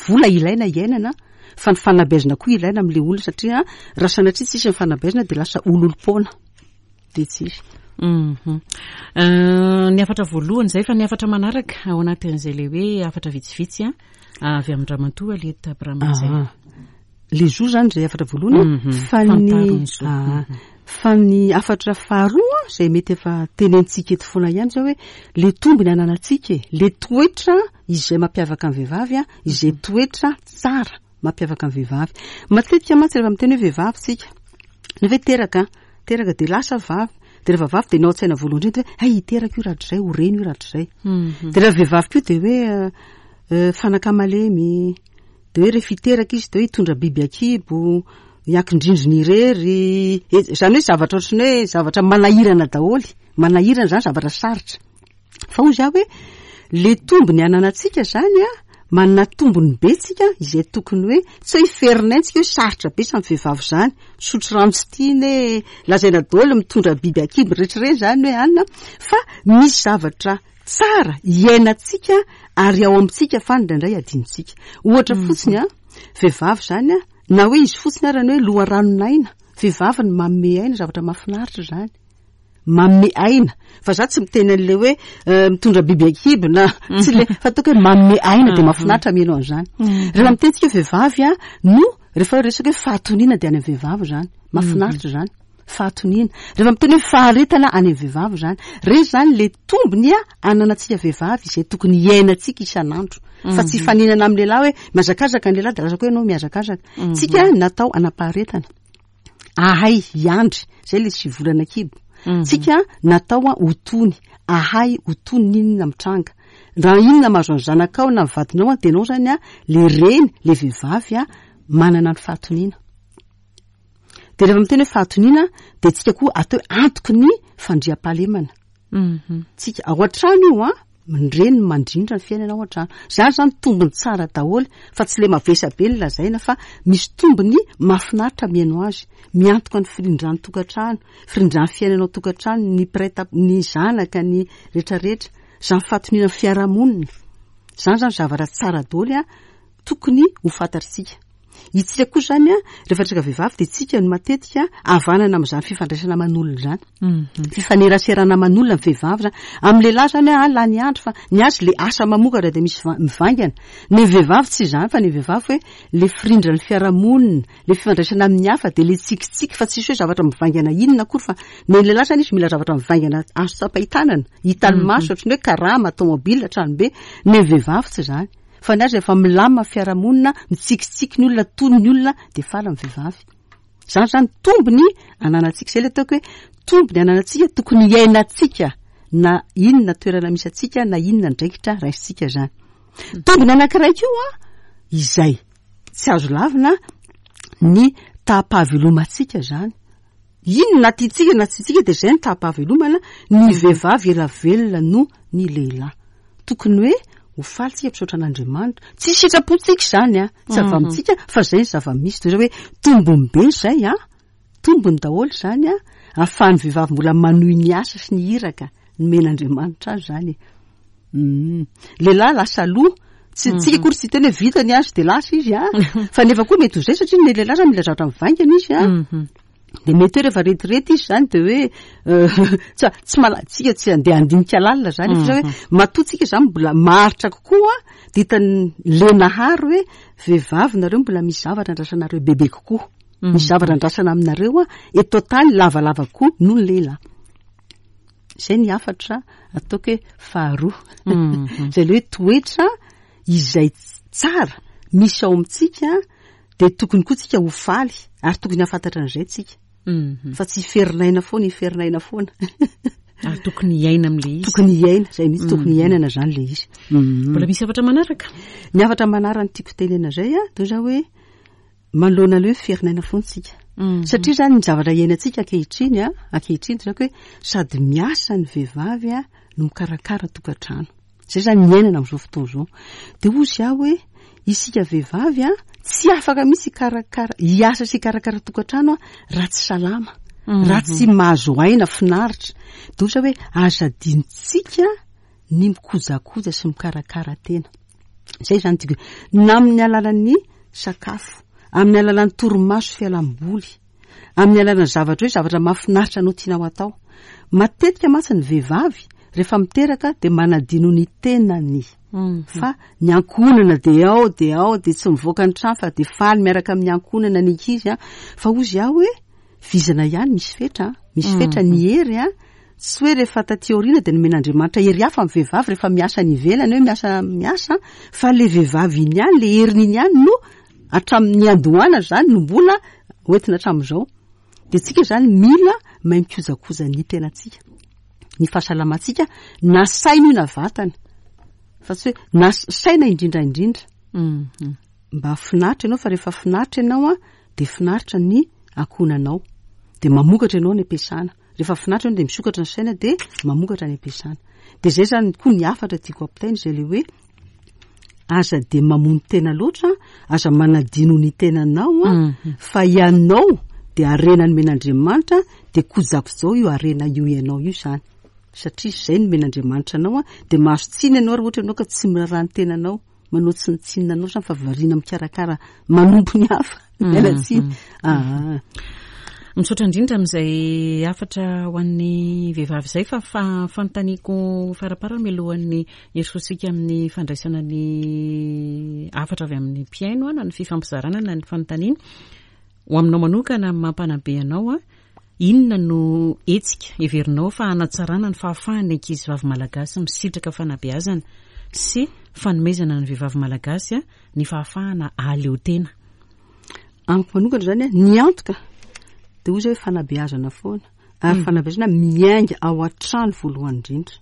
Vola ilaina iainana, fa ny fanabeazana koa ilaina amin'ilay olona, satria raha sanatria tsisy ny fanabeazana dia lasa ololom-poana. Dia tsy izy. Mhm. Euh, ny hafatra voalohany izay, fa ny hafatra manaraka ao anatin'izay le hoe hafatra vitsivitsy a avy amin-dramatoa Aliette Abraham izay. Ah. Le zo zany zay hafatra voalohany, Mhm. fa ny Fantaro ny zo. Ah, fa ny hafatra faharoa zay mety efa tenentsika eto foana ihany zao hoe le tombony ananantsika e, le toetra izay mampiavaka ny vehivavy a, izay toetra tsara mampiavaka ny vehivavy. Matetika mantsy rehefa miteny hoe vehivavy tsika, nefa hoe teraka, teraka dia lasa vavy, dia rehefa vavy dia ny ao an-tsaina voalohany indrindra hoe hay hiteraka io rahatrizay, ho reny io rahatrizay. Dia rehefa vehivavy koa dia hoe eh, fanaka malemy, dia hoe rehefa hiteraka izy dia hoe hitondra biby akibo, hiakin-drindrina irery, e, zany hoe zavatra ohatran'ny hoe zavatra manahirana daholo, manahirana zany, zavatra sarotra. Fa hoy zaho hoe le tombony ananantsika zany a, manana tombony be tsika izay tokony hoe tsy hoe hiferinay-tsika hoe sarotra be samy vehivavy zany, misotro rano tsy tiana e, lazaina daholo mitondra biby akibo rehetra ireny zany hoe anina, fa misy zavatra tsara iainantsika ary ao amintsika fa indraindray adinontsika. Ohatra fotsiny a, vehivavy zany a, na hoe izy fotsiny ara ny hoe loharanon'aina, vehivavy ny manome aina, zavatra mahafinaritra zany. Manome aina, fa za tsy miteny an'le hoe eh, mitondra biby akibo na tsy le, fa ataoko hoe manome aina dia mahafinaritra mihaino an'izany. Rehefa miteny tsika vehivavy a, no rehefa resaka hoe fahatoniana dia any amin'ny vehivavy zany, mahafinaritra zany. Fahatoniana. Rehefa miteny hoe faharetana any amin'ny vehivavy zany. Reny zany le tombony a ananantsika vehivavy izay tokony hiainantsika isan'andro. Fa tsy hifaninana amin'ny lehilahy hoe mihazakazaka ny lehilahy dia lasa koa ianao mihazakazaka. Tsika natao hanam-paharetana. Ahay hiandry, zay le sivy volana kibo. Tsika natao a ho tony, ahay ho tony n'inona mitranga. Raha inona mahazo ny zanakao na ny vadinao a, dia ianao zany a le reny, le vehivavy a manana ny fahatoniana. Dia rehefa miteny hoe fahatoniana dia tsika koa atao hoe antoky ny fandriampahalemana. Tsika ao an-trano io a, ny reny mandrindra ny fiainana ao an-trano. Zany zany tombony tsara daholo, fa tsy le mavesa be ny lazaina, fa misy tombony mahafinaritra mihaino azy, miantoka ny firindran'ny tokantrano, firindran'ny fiainana ao tokantrano, ny mpiray tap-, ny zanaka, ny rehetrarehetra. Zany fahatoniana ny fiarahamonina. Zany zany zavatra tsara daholo a, tokony ho fantatritsika. Itsika koa zany a, rehefa resaka vehivavy dia tsika no matetika havanana amin'izany fifandraisana aman'olona zany, fifaneraserana aman'olona ny vehivavy zany. Amin'ny lehilahy zany a, lany andro fa ny azy le asa mamokatra dia misy mivaingana. Ny vehivavy tsy izany, fa ny vehivavy hoe le firindran'ny fiarahamonina, le fifandraisana amin'ny hafa, dia le tsikitsiky, fa tsisy hoe zavatra mivaingana inona akory. Fa ny lehilahy zany izy mila zavatra mivaingana azo tsapain-tanana, hitan'ny maso, ohatran'ny hoe karama, tomobile, tranobe. Ny vehivavy tsy izany, fa ny azy rehefa milamina fiarahamonina, mitsikitsiky ny olona, tony ny olona, dia faly ny vehivavy. Zany zany tombony ananantsika. Zay le ataoko hoe tombony ananantsika, tokony hiainantsika na inona toerana misy antsika, na inona andraikitra raisintsika zany. Tombony anankiray koa izay tsy azo lavina ny taham-pahavelomantsika zany. Inona na tiantsika na tsy tiantsika dia izay ny taham-pahavelomana. Ny vehivavy ela velona no ny lehilahy. Tokony hoe ho faly tsika, misaotra an'Andriamanitra. Tsy sitrapontsika izany a, tsy avy amintsika, fa izay ny zava-misy. Toy izay hoe tombony be izay a, tombony daholo izany a, ahafahan'ny vehivavy mbola manohy ny asa sy ny iraka nomen'Andriamanitra azy zany. Mm. Lehilahy lasa aloha, tsy tsika akory tsy tena hoe vita ny azy dia lasa izy a, fa nefa koa mety ho izay, satria ny lehilahy zany mila zavatra mivaingana izy a. Dia mety hoe rehefa retirety izy zany dia hoe tsy tsy mala tsika tsy andeha handinika lalina zany, fa hoe matoa tsika zany mbola maharitra kokoa, dia hitan'ny le nahary hoe vehivavy nareo mbola misy zavatra andrasanareo bebe kokoa, misy zavatra andrasana aminareo a eto an-tany lavalava kokoa noho ny lehilahy. Izay ny hafatra ataoko hoe faharoa, izay le hoe toetra izay tsara misy ao amintsika, dia tokony koa tsika ho faly ary tokony hahafantatra an'izay tsika, fa tsy hiferinaina foana, hiferinaina foana. Ary tokony hiaina amin'le izy. Tokony hiaina, zay mihitsy, tokony hiainana zany le izy. Mbola misy hafatra manaraka? Ny hafatra manaraka tiako tenena zay a, toy zao hoe manoloana le hoe ferinaina foana tsika, satria zany ny zavatra iainantsika ankehitriny a, ankehitriny toy zako hoe sady miasa ny vehivavy a no mikarakara tokantrano. Zay zany miainana amin'izao fotoana izao. Dia hozy aho hoe isika vehivavy a tsy afaka mihitsy hikarakara, hiasa sy hikarakara tokantrano a raha tsy salama, raha tsy mahazo aina finaritra. Dia ohatra hoe aza adinontsika ny mikojakoja sy mikarakara tena. Zay zany tiako, na amin'ny alalan'ny sakafo, amin'ny alalan'ny torimaso fialam-boly, amin'ny alalan'ny zavatra hoe zavatra mahafinaritra anao tianao atao. Matetika mantsy ny vehivavy rehefa miteraka dia manadino ny tenany, fa ny ankohonana dia ao dia ao, dia tsy mivoaka ny trano fa dia faly miaraka amin'ny ankohonana ny ankizy a. Fa hozy aho hoe vizana ihany, misy fetra, misy fetra ny hery a. Tsy hoe rehefa taty aoriana dia nomen'Andriamanitra hery hafa ny vehivavy rehefa miasa any ivelany, hoe miasa miasa, fa le vehivavy iny ihany, le heriny iny ihany no hatramin'ny andohana zany no mbola hoentina hatramin'izao. Dia tsika zany mila mahay mikojakoja ny tenantsika, ny fahasalamantsika, na saina io na vatana, fa tsy hoe na saina indrindra indrindra. Mba finaritra ianao, fa rehefa finaritra ianao a dia finaritra ny ankohonanao, dia mamokatra ianao ny ampiasana. Rehefa finaritra ianao dia misokatra ny saina, dia mamokatra ny ampiasana. Dia zay zany koa ny hafatra tiako ampitaina, izay le hoe aza dia mamono tena loatra, aza manadino ny tenanao a, fa ianao dia harena nomen'Andriamanitra, dia kojakojao io harena io ianao io zany, satria izay nomen'Andriamanitra anao a. Dia mahazo tsiny ianao raha ohatra ianao ka tsy miraharaha ny tenanao, manao tsinontsinona anao zany, fa variana mikarakara manompo ny hafa. Miala tsiny. Ah. Misaotra indrindra amin'izay hafatra ho an'ny vehivavy izay. Fa fanontaniako faraparany mialohan'ny hirosoantsika amin'ny fandraisana ny hafatra avy amin'ny mpihaino na ny fifampizarana na ny fanontaniana, ho aminao manokana mampanabe anao a, inona no hetsika heverinao fa hanatsarana ny fahafahan'ny ankizy vavy malagasy misitraka fanabeazana sy fanomezana ny vehivavy malagasy ny fahafahana ahaleo tena? Amiko manokana zany a, ny antoka dia hoy zay hoe fanabeazana foana, ary fanabeazana miainga ao an-trano voalohany indrindra.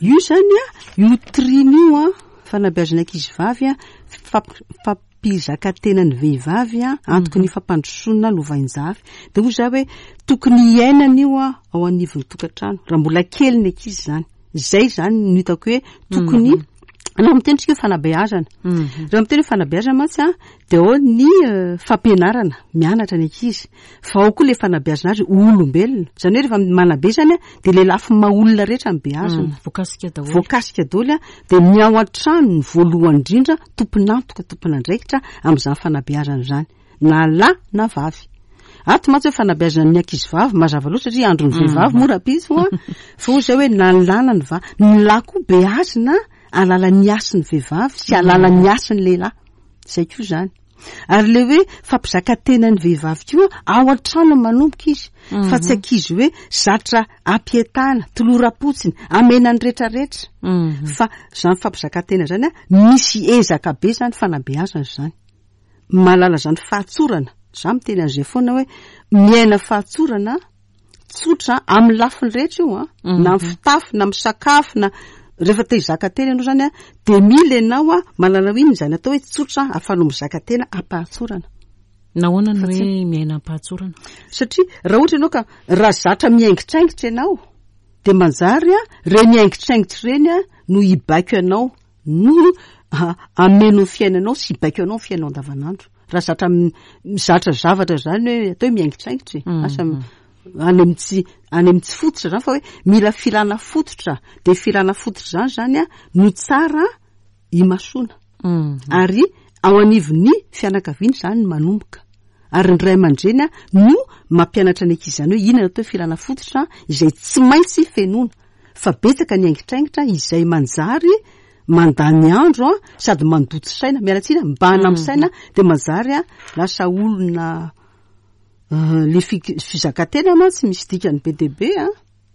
Io zany a, io triny io a, fanabeazana ankizy vavy a, fampizakatena ny vehivavy a, antoky ny fampandrosoana lovainjafy. Dia hoy za hoe tokony hiainana io a ao anivon'ny tokantrano raha mbola kely ny ankizy zany. Zay zany no hitako hoe tokony Raha miteny tsika hoe fanabeazana, Mhm. raha miteny hoe fanabeazana mantsy a, dia ao ny eh, fampianarana mianatra ny ankizy, fa ao koa le fanabeazana azy olombelona. Zany hoe rehefa manabe zany a, dia le lafiny maha olona rehetra ny beazana. Mm, voakasika daholo. Voakasika daholo a, dia ny ao an-trano ny voalohany indrindra tompon'antoka, tompon'andraikitra amin'izany fanabeazana izany, na lahy na vavy. Ato mantsy hoe fanabeazana ny ankizy vavy mazava loatra satria andron'ny vehivavy moa rahampitso a, fa hoy izay hoe na ny lahy na ny vavy, ny lahy koa beazina alalan'ny hasin'ny vehivavy sy alalan'ny hasin'ny lehilahy. Izay koa izany. Ary le hoe fampizakatena ny vehivavy koa ao an-trano manomboka izy, fa tsy ankizy hoe zatra ampietana, toloram-potsiny, amena ny rehetrarehetra. Mhm. Fa izany fampizakatena izany a, misy ezaka be izany fanabeazana izany. Mahalala izany fahatsorana. Za miteny an'izay foana hoe miaina fahatsorana tsotra amin'ny lafiny rehetra io a, na amin'ny fitafy, na amin'ny sakafo, na rehefa te hizaka tena ianao izany a, dia mila ianao a mahalala hoe inona izany atao hoe tsotra ahafahanao mizaka tena am-pahatsorana. Nahoana no Fa tsy- hoe miaina am-pahatsorana? Satria raha ohatra ianao ka raha zatra miaingitraingitra ianao, dia manjary a ireny haingitraingitra ireny a no hibaiko anao, no hameno ny fiainanao sy hibaiko anao ny fiainanao andavanandro. Raha zatra m-, mizatra zavatra izany hoe atao hoe miaingitraingitra e, Mhm. asa m-, any amin'ny tsy, any amin'ny tsy fototra izany, fa hoe mila filana fototra, dia filana fototra izany zany a no tsara imasoana. Mhm. Ary ao anivon'ny fianakaviana izany no manomboka. Ary ny ray aman-dreny a no mampianatra ny ankizy izany hoe inona atao hoe filana fototra izay tsy maintsy fenoina. Fa betsaka ny haingitraingitra izay manjary mandany andro a, sady mandoto saina, miala tsiny, mibahana amin'ny saina, dia manjary a lasa olona, eh, le fi-, fizakatena mantsy misy dikany be dia be a.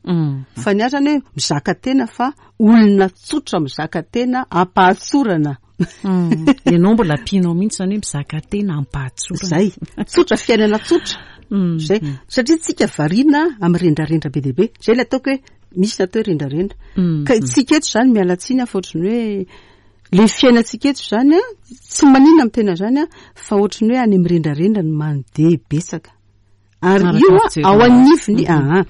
Mm. Fa ny azy zany hoe mizaka tena, fa olona tsotra mizaka tena am-pahatsorana. Mm. Ianao mbola ampianao mihitsy zany hoe mizaka tena am-pahatsorana. Zay, tsotra, fiainana tsotra. Mm. Zay, satria tsika variana amin'ny rendrarendra be dia be. Zay ilay ataoko hoe misy ny atao hoe rendrarendra. Mm. Ka tsika eto zany miala tsiny fa ohatran'ny hoe le fiainantsika eto zany a, tsy maninona amin'ny tena zany a, fa ohatran'ny hoe any amin'ny rendrarendra no mandeha betsaka. Ary Araka io a, fijery ao anazy. anivony, aha,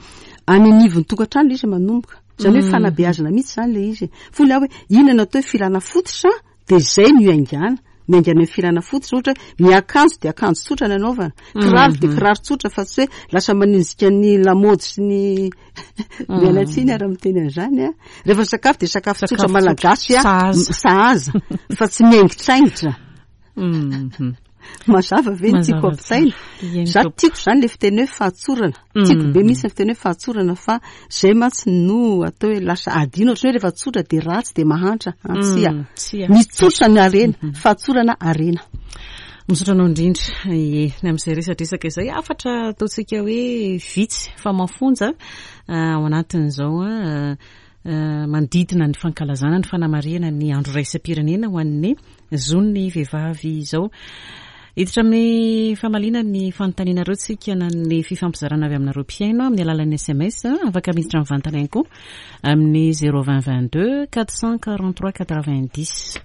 any anivon'ny tokantrano ilay izy manomboka. Zany hoe Mm. fanabeazana mihitsy zany ilay izy. Fony aho hoe inona no atao hoe filana fototra, dia zay no iaingana. Miaingana amin'ny filana fototra, ohatra hoe miakanjo dia akanjo tsotra ny anaovana, kiraro dia kiraro tsotra, fa tsy hoe lasa manenjika ny lamaody sy ny miala tsiny ary miteny an'izany a. Rehefa sakafo dia sakafo tsotra Sakafo malagasy a, sahaza. sahaza, fa tsy miaingitraingitra. Mhm. Mazava ve ny tiako Mazava ampitaina? tsara. Eny, Za tompoko. tiako zany le fiteny hoe fahatsorana. Tiako be Mhm. mihitsy ny fiteny hoe fahatsorana, fa zay mantsy no atao hoe lasa adino, ohatran'ny hoe rehefa tsotra dia ratsy dia mahantra. Ah, tsia. Mm, tsia. Ny tsotra ny harena, fahatsorana harena. Misaotra anao indrindra. Ie, ny amin'izay resadresaka izay, hafatra ataontsika hoe vitsy fa mafonja, ah, ao anatin'izao, ah, ah, manodidina ny fankalazana ny fanamarihana ny andro iraisam-pirenena ho an'ny zon'ny vehivavy izao. Hiditra amin'ny famaliana ny fanontanianareo tsika na ny fifampizarana avy aminareo mpihaino amin'ny alalan'ny S M S, afaka miditra mivantana ihany koa amin'ny zéro vingt vingt-deux quatre cent quarante-trois quatre-vingt-dix.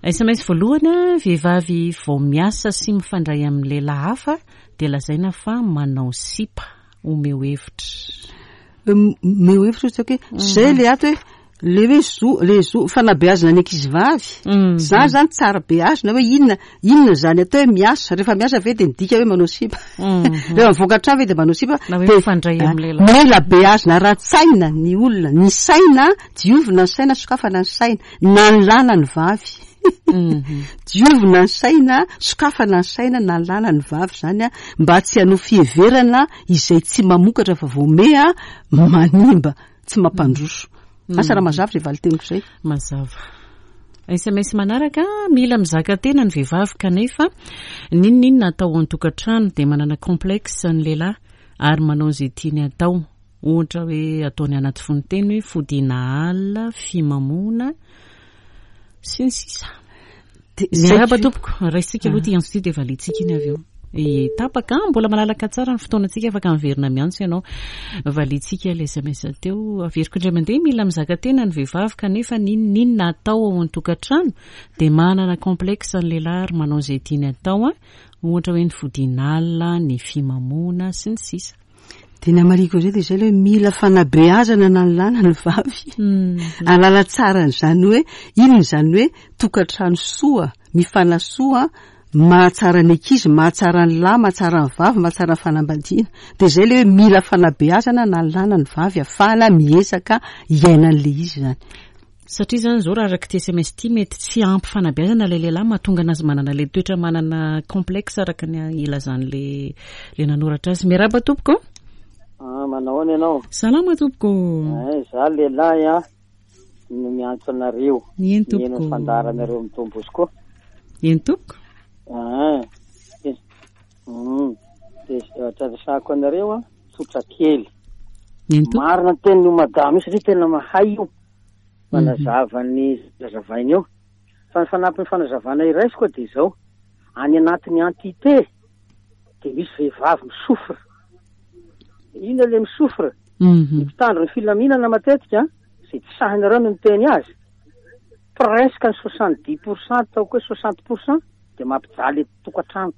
S M S voalohany, vehivavy vao miasa sy mifandray amin'ny lehilahy hafa dia lazaina fa manao sipa. Omeo hevitra. Omeo hevitra ohatry hoe zay le ato hoe le hoe zo, le zo fanabeazana ny ankizy vavy. Mm. Za zany tsara beazina hoe inona, inona zany atao hoe miasa. Rehefa miasa ve dia midika hoe manao sipa. Mm. Rehefa mivoaka an-trano ve dia manao sipa. Na hoe Dia mifandray amin'ny lehilahy. Mila beazina ara-tsaina ny olona. Ny saina, diovina ny saina, sokafana ny saina. Na ny lahy na ny vavy. Mm-hmm. Diovina ny saina, sokafana ny saina, na ny lahy na ny vavy zany a, mba tsy hanao fiheverana izay tsy mamokatra fa vao meha manimba, tsy mampandroso. Mm. Asa raha mazava izay valin-teniko izay. Mazava. S M S manaraka, mila mizaka tena ny vehivavy kanefa n'inon'inona atao ao an-tokantrano dia manana complexe ny lehilahy ary manao izay tiany atao. Ohatra hoe ataony anaty fononteny hoe fodiana alina, fimamoana sy ny sisa. Dia Miarahaba zay tompoko, raisitsika aloha ity antso ity dia valiantsika iny avy eo. E, tapaka, mbola malalaka tsara ny fotoanantsika, afaka miverina miantso ianao. Valiantsika ilay S M S teo. Averiko indray mandeha, mila mizaka tena ny vehivavy kanefa n'inon'inona atao ao an-tokantrano dia manana complexe ny lehilahy ary manao izay tiany atao, a. Ohatra hoe ny fodiana alina, ny fimamoana sy ny sisa. Dia ny hamariko an'izay dia izay ilay hoe mila fanabeazana na ny lahy na ny vavy. Hahalala tsara an'izany hoe inona izany hoe tokantrano soa, mifanasoa, mahatsara ny ankizy, mahatsara ny lahy, mahatsara ny vavy, mahatsara ny fanambadiana. Dia izay ilay hoe mila fanabeazana na ny lahy na ny vavy ahafahana miezaka hiaina an'ilay izy izany. Satria izany izao raha araka ity S M S ity mety tsy ampy fanabeazana ilay lehilahy mahatonga anazy manana ilay toetra manana complexe araka ny ilazan'ilay ilay nanoratra azy. Miarahaba tompoko. Ah, manao ahoana ianao? Salama tompoko. Eh, za lehilahy a no miantso anareo. Eny tompoko. Mihaino ny fandaharanareo amin'ny Don Bosco. Eny tompoko. Ah, eh, mm, de zavatra resahako anareo a, tsotra kely. Eny tompoko. Marina ny tenin'io madama io satria tena mahay io. Manazava ny zazavainy eo. Fa ny fanampin'ny fanazavana iraisiko dia izao. Any anatin'ny entité dia misy vehivavy misofra. Inona ilay misofra? Mhm. Ny mpitandro ny filaminana matetika, izay tsy sahinareo no miteny azy, presque ny soixante-dix pour cent, ataoko hoe soixante pour cent, dia mampijaly tokantrano.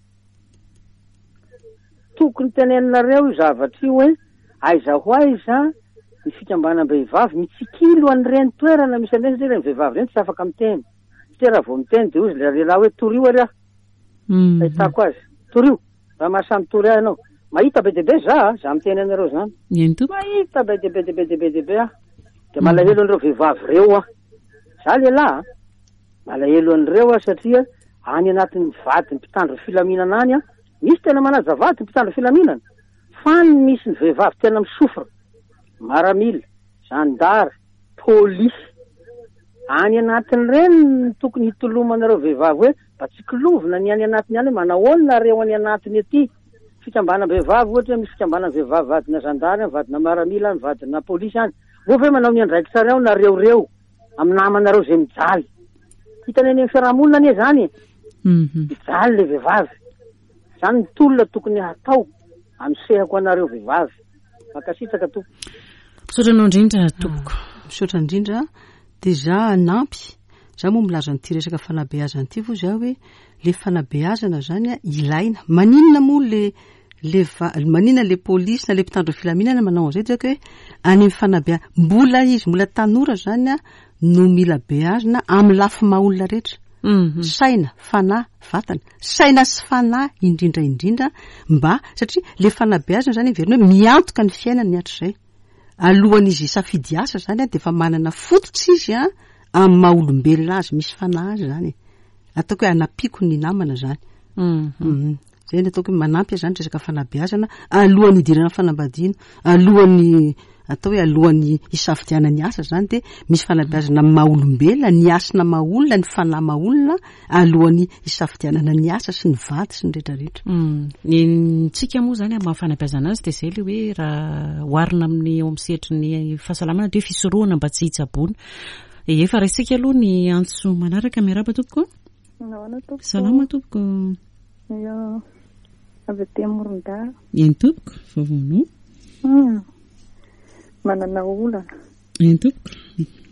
Tokony teneninareo io zavatra io hoe aiza ho aiza ny fikambanam-behivavy mitsikilo an'ireny toerana misy an'ireny, satria ireny vehivavy ireny tsy afaka miteny. Satria raha vao miteny dia hoy ilay lehilahy hoe torio ary aho. Mhm. Ahitako azy. Torio. Raha mahasahy mitory ahy ianao. Mahita be dia be za, za miteny anareo zany. Eny tompoko. Mahita be dia be dia be dia be dia be aho. Dia malahelo an'ireo vehivavy ireo aho. Za lehilahy, malahelo an'ireo aho satria any anatin'ny vady mpitandro filaminana any, misy tena manaja vady mpitandro filaminana, fa ny misy ny vehivavy tena misofra. Maramila, zandary, polisy. Any anatin'ireny no tokony hitolomanareo vehivavy hoe mba tsy kilovina ny any anatiny any, manahoana nareo any anatiny aty. Fikambanam-behivavy ohatra hoe misy fikambanam-behivavy vadina zandary, vadina maramila, vadina polisy any. Moa ve manao ny andraikitrareo nareo reo amin'ny namanareo izay mijaly? Hitany any amin'ny fiarahamonina anie zany e. Mhm. Mijaly le vehivavy. Zany ny tolona tokony hatao anosehako anareo vehivavy. Mankasitraka tompoko. Misaotra anao indrindra tompoko. Ah, misaotra indrindra. Dia za hanampy. Za moa milaza an'ity resaka fanabeazana ity vo za hoe le fanabeazana zany a ilaina. Maninona moa le, le va-, maninona le polisy na le mpitandro filaminana manao an'izay? Dia hoe any amin'ny fanabea-, mbola izy, mbola tanora zany a no mila beazina amin'ny lafy maha olona rehetra. Mhm. Saina, fanahy, vatana. Saina sy fanahy indrindra indrindra mba, satria le fanabeazana zany heverina hoe miantoka ny fiainany hatrizay. Alohan'izy hisafidy asa zany a, dia efa manana fototra izy a amin'ny maha olombelona azy, misy fanahy azy zany. Ataoko hoe anampiako ny namana zany. Mhm. Mhm. Zay ny ataoko hoe manampy zany resaka fanabeazana alohan'ny hidirana fanambadiana, alohan'ny atao hoe alohan'ny hisafidianana ny asa zany dia misy fanabeazana amin'ny maha olombelona, ny hasina maha olona, ny fanahy maha olona alohan'ny hisafidianana ny asa sy ny vady sy ny rehetrarehetra. Mm. Ny ntsika moa zany amin'ny maha fanabeazana azy dia izay ilay hoe raha oharina amin'ny eo amin'ny sehatry ny fahasalamana dia hoe fisorohana mba tsy hitsaboana. Efa raisika aloha ny antso manaraka. Miarahaba tompoko. Nahoana tompoko? Salama tompoko. Ia, avy aty Morondava. Eny tompoko, vaovaonao? Hmm. Manana olana. Eny tompoko,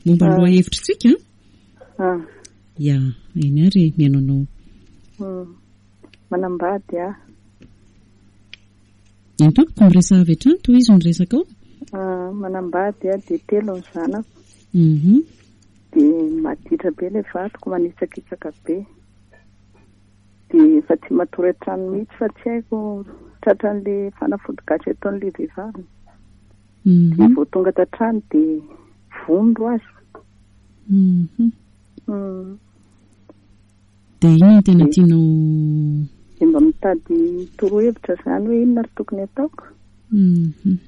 momba ny Ah. lohahevitritsika? Ah. Ia, eny ary mihaino anao. Hmm. Manambady aho. Eny tompoko, miresaha avy hatrany, tohizo ny resaka ao. Ah, manambady aho dia telo ny zanako. Mhm. Dia maditra be ilay vadiko, manitsakitsaka be. Dia efa tsy matory an-trano mihitsy fa tsy haiko tratran'ilay fanafody gasy ataon'ilay vehivavy. Mhm. Dia vao tonga tan-trano dia vondro azy. Mhm. Mm. Dia inona no tena tianao? Dia mba mitady torohevitra izany hoe inona ary tokony ataoko? Mhm.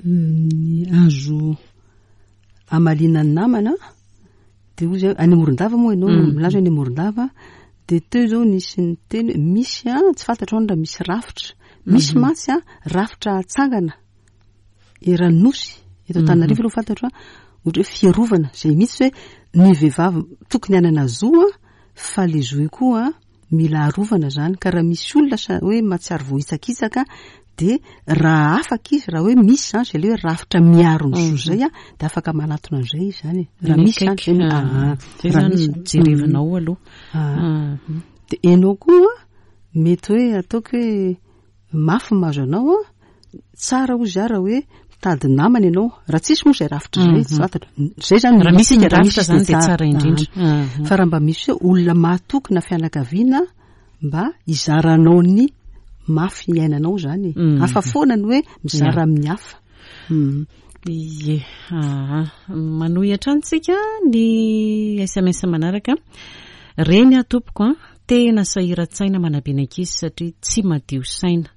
Ny azo hamaliana ny namana dia hoy izy, any Morondava moa ianao, Mm. milaza any Morondava, dia teo izao nisy niteny hoe misy a, tsy fantatro raha misy rafitra. Misy Mhm. mantsy a, rafitra atsangana eran'ny nosy eto Antananarivo aloha fantatro a, ohatra hoe fiarovana izay mihitsy hoe ny vehivavy tokony hanana zo a, fa le zo io koa mila arovana zany. Ka raha misy olona sa hoe mahatsiaro voahitsakitsaka dia raha afaka izy, raha hoe misy zany izay le hoe rafitra miaro ny zo zay a, dia afaka manatona an'izay izy zany e. Raha Ny misy zany akaiky, zay no- ah, ah, zay raha zany misy. no jerevinao aloha. Ah. Ah. Dia ianao koa mety hoe ataoko hoe mafy ny mahazo anao a, Tsara hozy aho raha hoe mitady namana ianao, raha tsisy moa izay rafitra izay, tsy fantatra. Izay izany Raha misy ny raha rafitra misy izany dia dia tsara indrindra. Ah. Fa raha mba misy hoe olona mahatoky na fianakaviana mba hizaranao ny mafy iainanao izany e. Mhm. Hafa foana ny hoe mizara Ya. amin'ny hafa. Mhm. Ie, aha. Manohy hatrany tsika ny S M S manaraka. Reny aho tompoko a, tena sahiran-tsaina manabe ny ankizy satria tsy madio saina.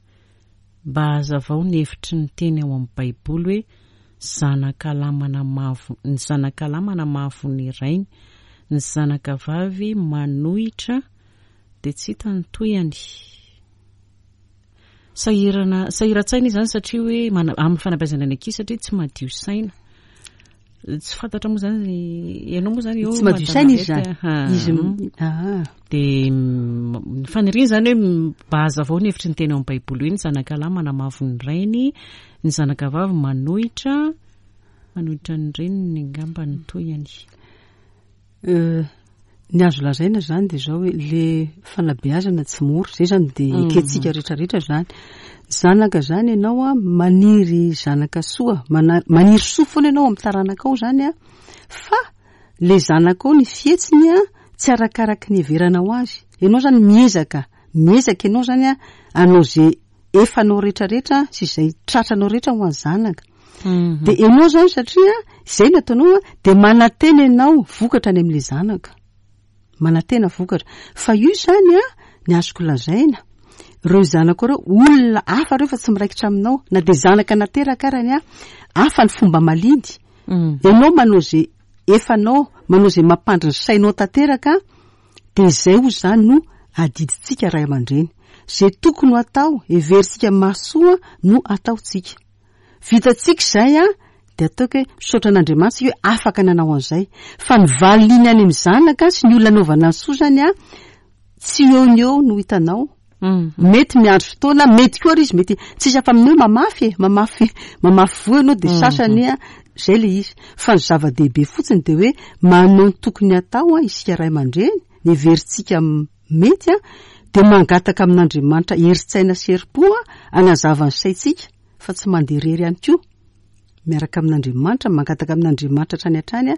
Mba hazavao ny hevitry ny teny ao amin'ny Baiboly hoe zanaka lahy manamavo, ny zanaka lahy manamavo ny rainy, ny zanaka vavy manohitra dia tsy hita ny tohiny. Sahirana, sahiran-tsaina izany satria hoe mana-, amin'ny fanabeazana ny ankizy satria tsy madio saina. Tsy fantatra moa izany, ianao moa izany eo Tsy madio saina izy Madame izany. Arlette, ah. Izy m-, ah. Dia, mm, ny faniriana izany hoe mba hazavao ny hevitry ny teny ao amin'ny Baiboly hoe ny zanaka lahy manamavo ny rainy, ny zanaka vavy manohitra, manohitra ny reniny angamba ny tohiny. Euh, ny azo lazaina izany dia izao hoe le fanabeazana tsy mora, izay izany dia Mhm. ekentsika rehetrarehetra izany. Zanaka izany ianao a, maniry zanaka soa, mana-, maniry soa foana ianao amin'ny taranakao izany a, fa le zanakao ny fihetsiny a, tsy arakaraky ny heveranao azy. Ianao izany miezaka, miezaka ianao izany a, hanao izay efanao rehetrarehetra sy izay tratranao rehetra ho an'ny zanaka. Mhm. Dia ianao izany satria izay no ataonao a, dia manantena ianao vokatra any amin'ilay zanaka. Manantena vokatra. Fa io izany a, ny azoko lazaina, ireo zanako ireo olona hafa ireo fa tsy miraikitra aminao, na dia zanaka nateraka arany a, hafa ny fomba maliny. Mm. Ianao manao izay efanao, manao izay mampandry ny sainao tanteraka, dia izay ho izany no adidintsika ray aman-dreny. Izay tokony ho atao, heverintsika mahasoa no ataontsika. Vitatsika izay a, dia ataoko hoe misaotra an'Andriamanitra isika hoe afaka nanao an'izay. Fa ny valiny any amin'ny zanaka sy ny olona anaovana ny soa izany a, tsy eo ny eo no hitanao. Mm. Mety miandry fotoana, mety koa ary izy, mety tsisy afa amin'ny hoe mamafy e, mamafy, mamafy voa ianao dia Mm. sasany a, izay ilay izy. Fa ny zava-dehibe fotsiny dia hoe manao ny tokony hatao a, isika ray aman-dreny, ny heverintsika m-, mety a, dia mangataka amin'Andriamanitra herin-tsaina sy herim-po a, hanazava ny saintsika, fa tsy mandeha irery ihany koa. Miaraka amin'Andriamanitra, mangataka amin'Andriamanitra hatrany hatrany a,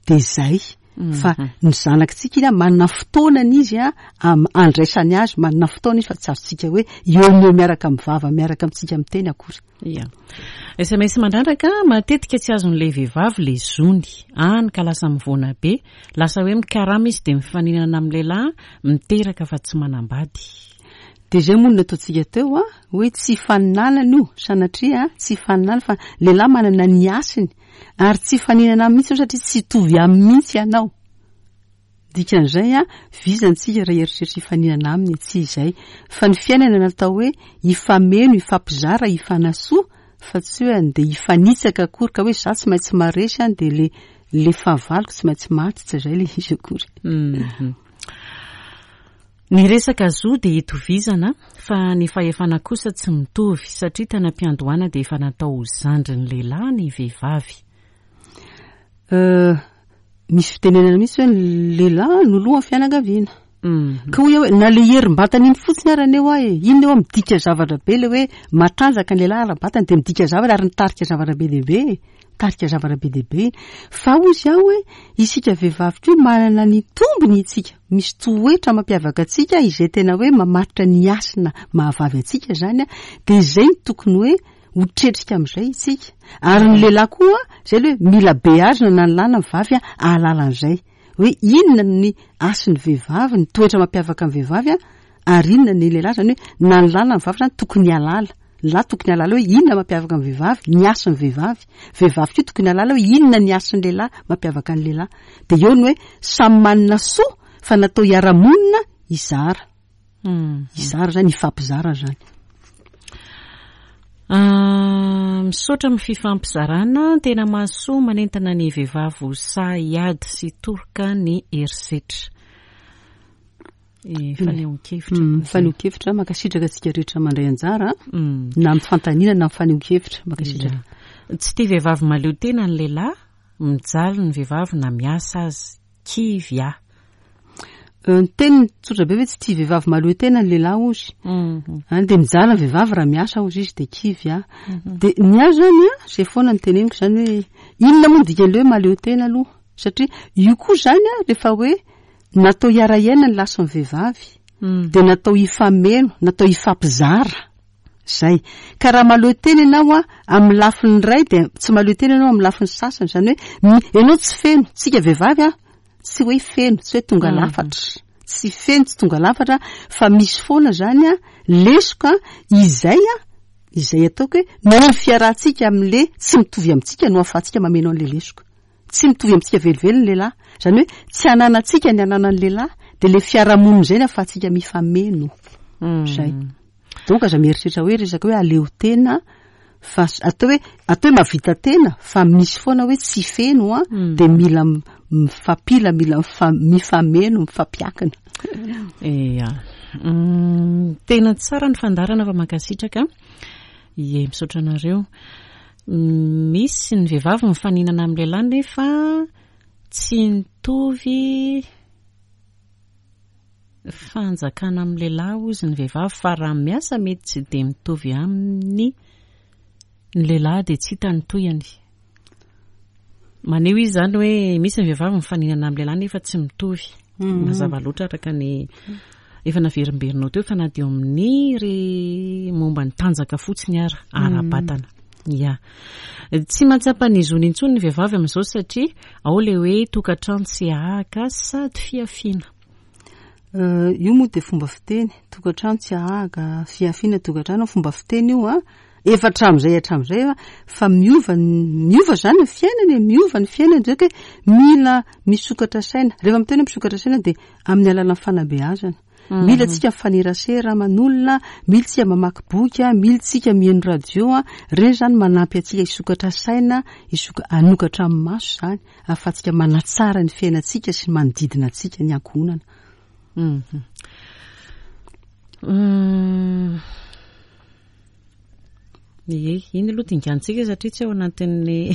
dia izay. Mm. Fa ny zanakitsika iny a, manana fotoanany izy a, am-, andraisany azy, manana fotoana izy fa tsy azontsika hoe eo no eo miaraka amin'ny vava, miaraka amintsika miteny akory. Ia. S M S mandraraka, matetika tsy azon'ilay vehivavy ilay zony. Any ka lasa mivoana be, lasa hoe mikarama izy dia mifaninana amin'ny lehilahy, miteraka fa tsy manambady. Dia izay moa no nataontsika teo a, hoe tsy hifaninanana io, sanatria tsy hifaninanana fa lehilahy manana ny hasiny ary tsy hifaninana mihitsy io satria tsy hitovy aminy mihitsy ianao. Dikan'izay a, vizantsika raha eritreritra hifaninana aminy, tsy izay. Fa ny fiainana natao hoe hifameno, hifampizara, hifanasoa, fa tsy hoe andeha hifanitsaka akory ka hoe za tsy maintsy maresy a, dia le, le fahavaloko tsy maintsy maty, tsy izay le izy akory. Mhm. Ny resaka zo dia itovizana, fa ny fahefana kosa tsy mitovy, satria tany am-piandohana dia efa natao ho zandrin'ny lehilahy ny vehivavy. Euh, misy fitenenana mihitsy hoe ny lehilahy no lohan'ny fianakaviana. Mhm. Ka hoy aho hoe na le herim-batana iny fotsiny ara eo aho e, iny eo midika zavatra be le hoe matanjaka ny lehilahy ara-batana dia midika zavatra ary mitarika zavatra be dia be e. Mitarika zavatra be dia be. Fa hoy izy aho hoe isika vehivavy koa manana ny tombony isika. Misy toetra mampiavaka antsika izay tena hoe mamaritra ny hasina mahavavy antsika izany a, dia izay no tokony hoe ho tretrika amin'izay isika. Ary ny lehilahy koa, izay aloha hoe mila beazina na ny lahy na ny vavy a, ahalala an'izay. Hoe inona ny hasin'ny vehivavy, ny toetra mampiavaka ny vehivavy a, ary inona ny lehilahy, izany hoe na ny lahy na ny vavy izany tokony hahalala. Ny lahy tokony hahalala hoe inona mampiavaka ny vehivavy, ny hasin'ny vehivavy. Vehivavy koa tokony hahalala hoe inona ny hasin'ny lehilahy mampiavaka ny lehilahy. Dia eo ny hoe samy manana soa fa natao hiara-monina hizara. Hmm. Hizara izany, hifampizara izany. Ah, misaotra amin'ny fifampizarana, tena mahasoa manentana ny vehivavy ho sahy hiady sy toroka ny herisetra. Eh, fanehoan-kevitra. Mm, fanehoan-kevitra, mankasitraka antsika rehetra mandray anjara, Mm. na amin'ny fanontaniana na amin'ny fanehoan-kevitra, mankasitraka. Ia. Tsy tia vehivavy mahaleo tena ny lehilahy, mijaly ny vehivavy na miasa azy, kivy aho. Ny teniny tsotra be hoe tsy tia vehivavy mahaleo tena ny lehilahy ozy. Any dia mijaly ny vehivavy raha miasa ozy izy dia kivy a. Dia ny ahy zany a, zay foana ny teneniko zany hoe inona moa ny dikan'ilay hoe mahaleo tena aloha? Satria io koa zany a, rehefa hoe natao hiara-hiaina ny lahy sy ny vehivavy, dia natao hifameno, natao hifampizara. Zay. Ka raha mahaleo tena ianao a, amin'ny lafiny iray dia tsy mahaleo tena ianao amin'ny lafiny sasany. Zany hoe ianao tsy feno, tsika vehivavy a, tsy hoe feno, tsy hoe tonga lafatra. Tsy feno, tsy tonga lafatra, fa misy foana zany a, lesoka izay a, izay ataoko hoe noho ny fiarahantsika amin'le tsy mitovy amintsika no ahafahantsika mameno an'le lesoka. Tsy mitovy amintsika velively ny lehilahy. Zany hoe tsy ananantsika ny ananan'ny lehilahy, dia le fiarahamonina izay no ahafahantsika mifameno. Zay. Donc aza mieritreritra hoe resaka hoe aleo tena, fa atao hoe atao hoe mahavita tena, fa misy foana hoe tsy feno a, dia mila mifampila, mila mifameno, mifampiakina. Ia. Tena tsara ny fandaharana fa mankasitraka. Ie, misaotra anareo. Misy ny vehivavy mifaninana amin'ny lehilahy nefa tsy mitovy fanjakana amin'ny lehilahy ozy ny vehivavy, fa raha miasa mety tsy dia mitovy amin'ny ny lehilahy dia tsy hita ny tohiny. Maneho izy zany hoe misy ny vehivavy mifaninana amin'ny lehilahy nefa tsy mitovy. Mazava loatra araka ny efa naverimberina teo fa na dia amin'ny re momba ny tanjaka fotsiny ara ara-batana. Ia. Tsy mahatsapa ny zony intsony ny vehivavy amin'izao satria ao ilay hoe tokantrano tsy ahaka sady fiafiana. Io moa dia fomba fiteny, tokantrano tsy ahaka, fiafiana tokantrano, fomba fiteny io a. Efa hatramin'izay hatramin'izay a, fa miova miova zany ny fiainana e, miova ny fiainana, zay hoe mila misokatra saina. Rehefa miteny hoe misokatra saina dia amin'ny alalan'ny fanabeazana. Mila tsika mifanerasera aman'olona, mila tsika mamaky boky, mila tsika mihaino radio, ireny zany manampy antsika hisokatra saina, hisoka hanokatra amin'ny maso zany, ahafahantsika manatsara ny fiainantsika sy ny manodidina antsika, ny ankohonana. Ie, iny aloha dingantsika satria tsy ao anatin'ny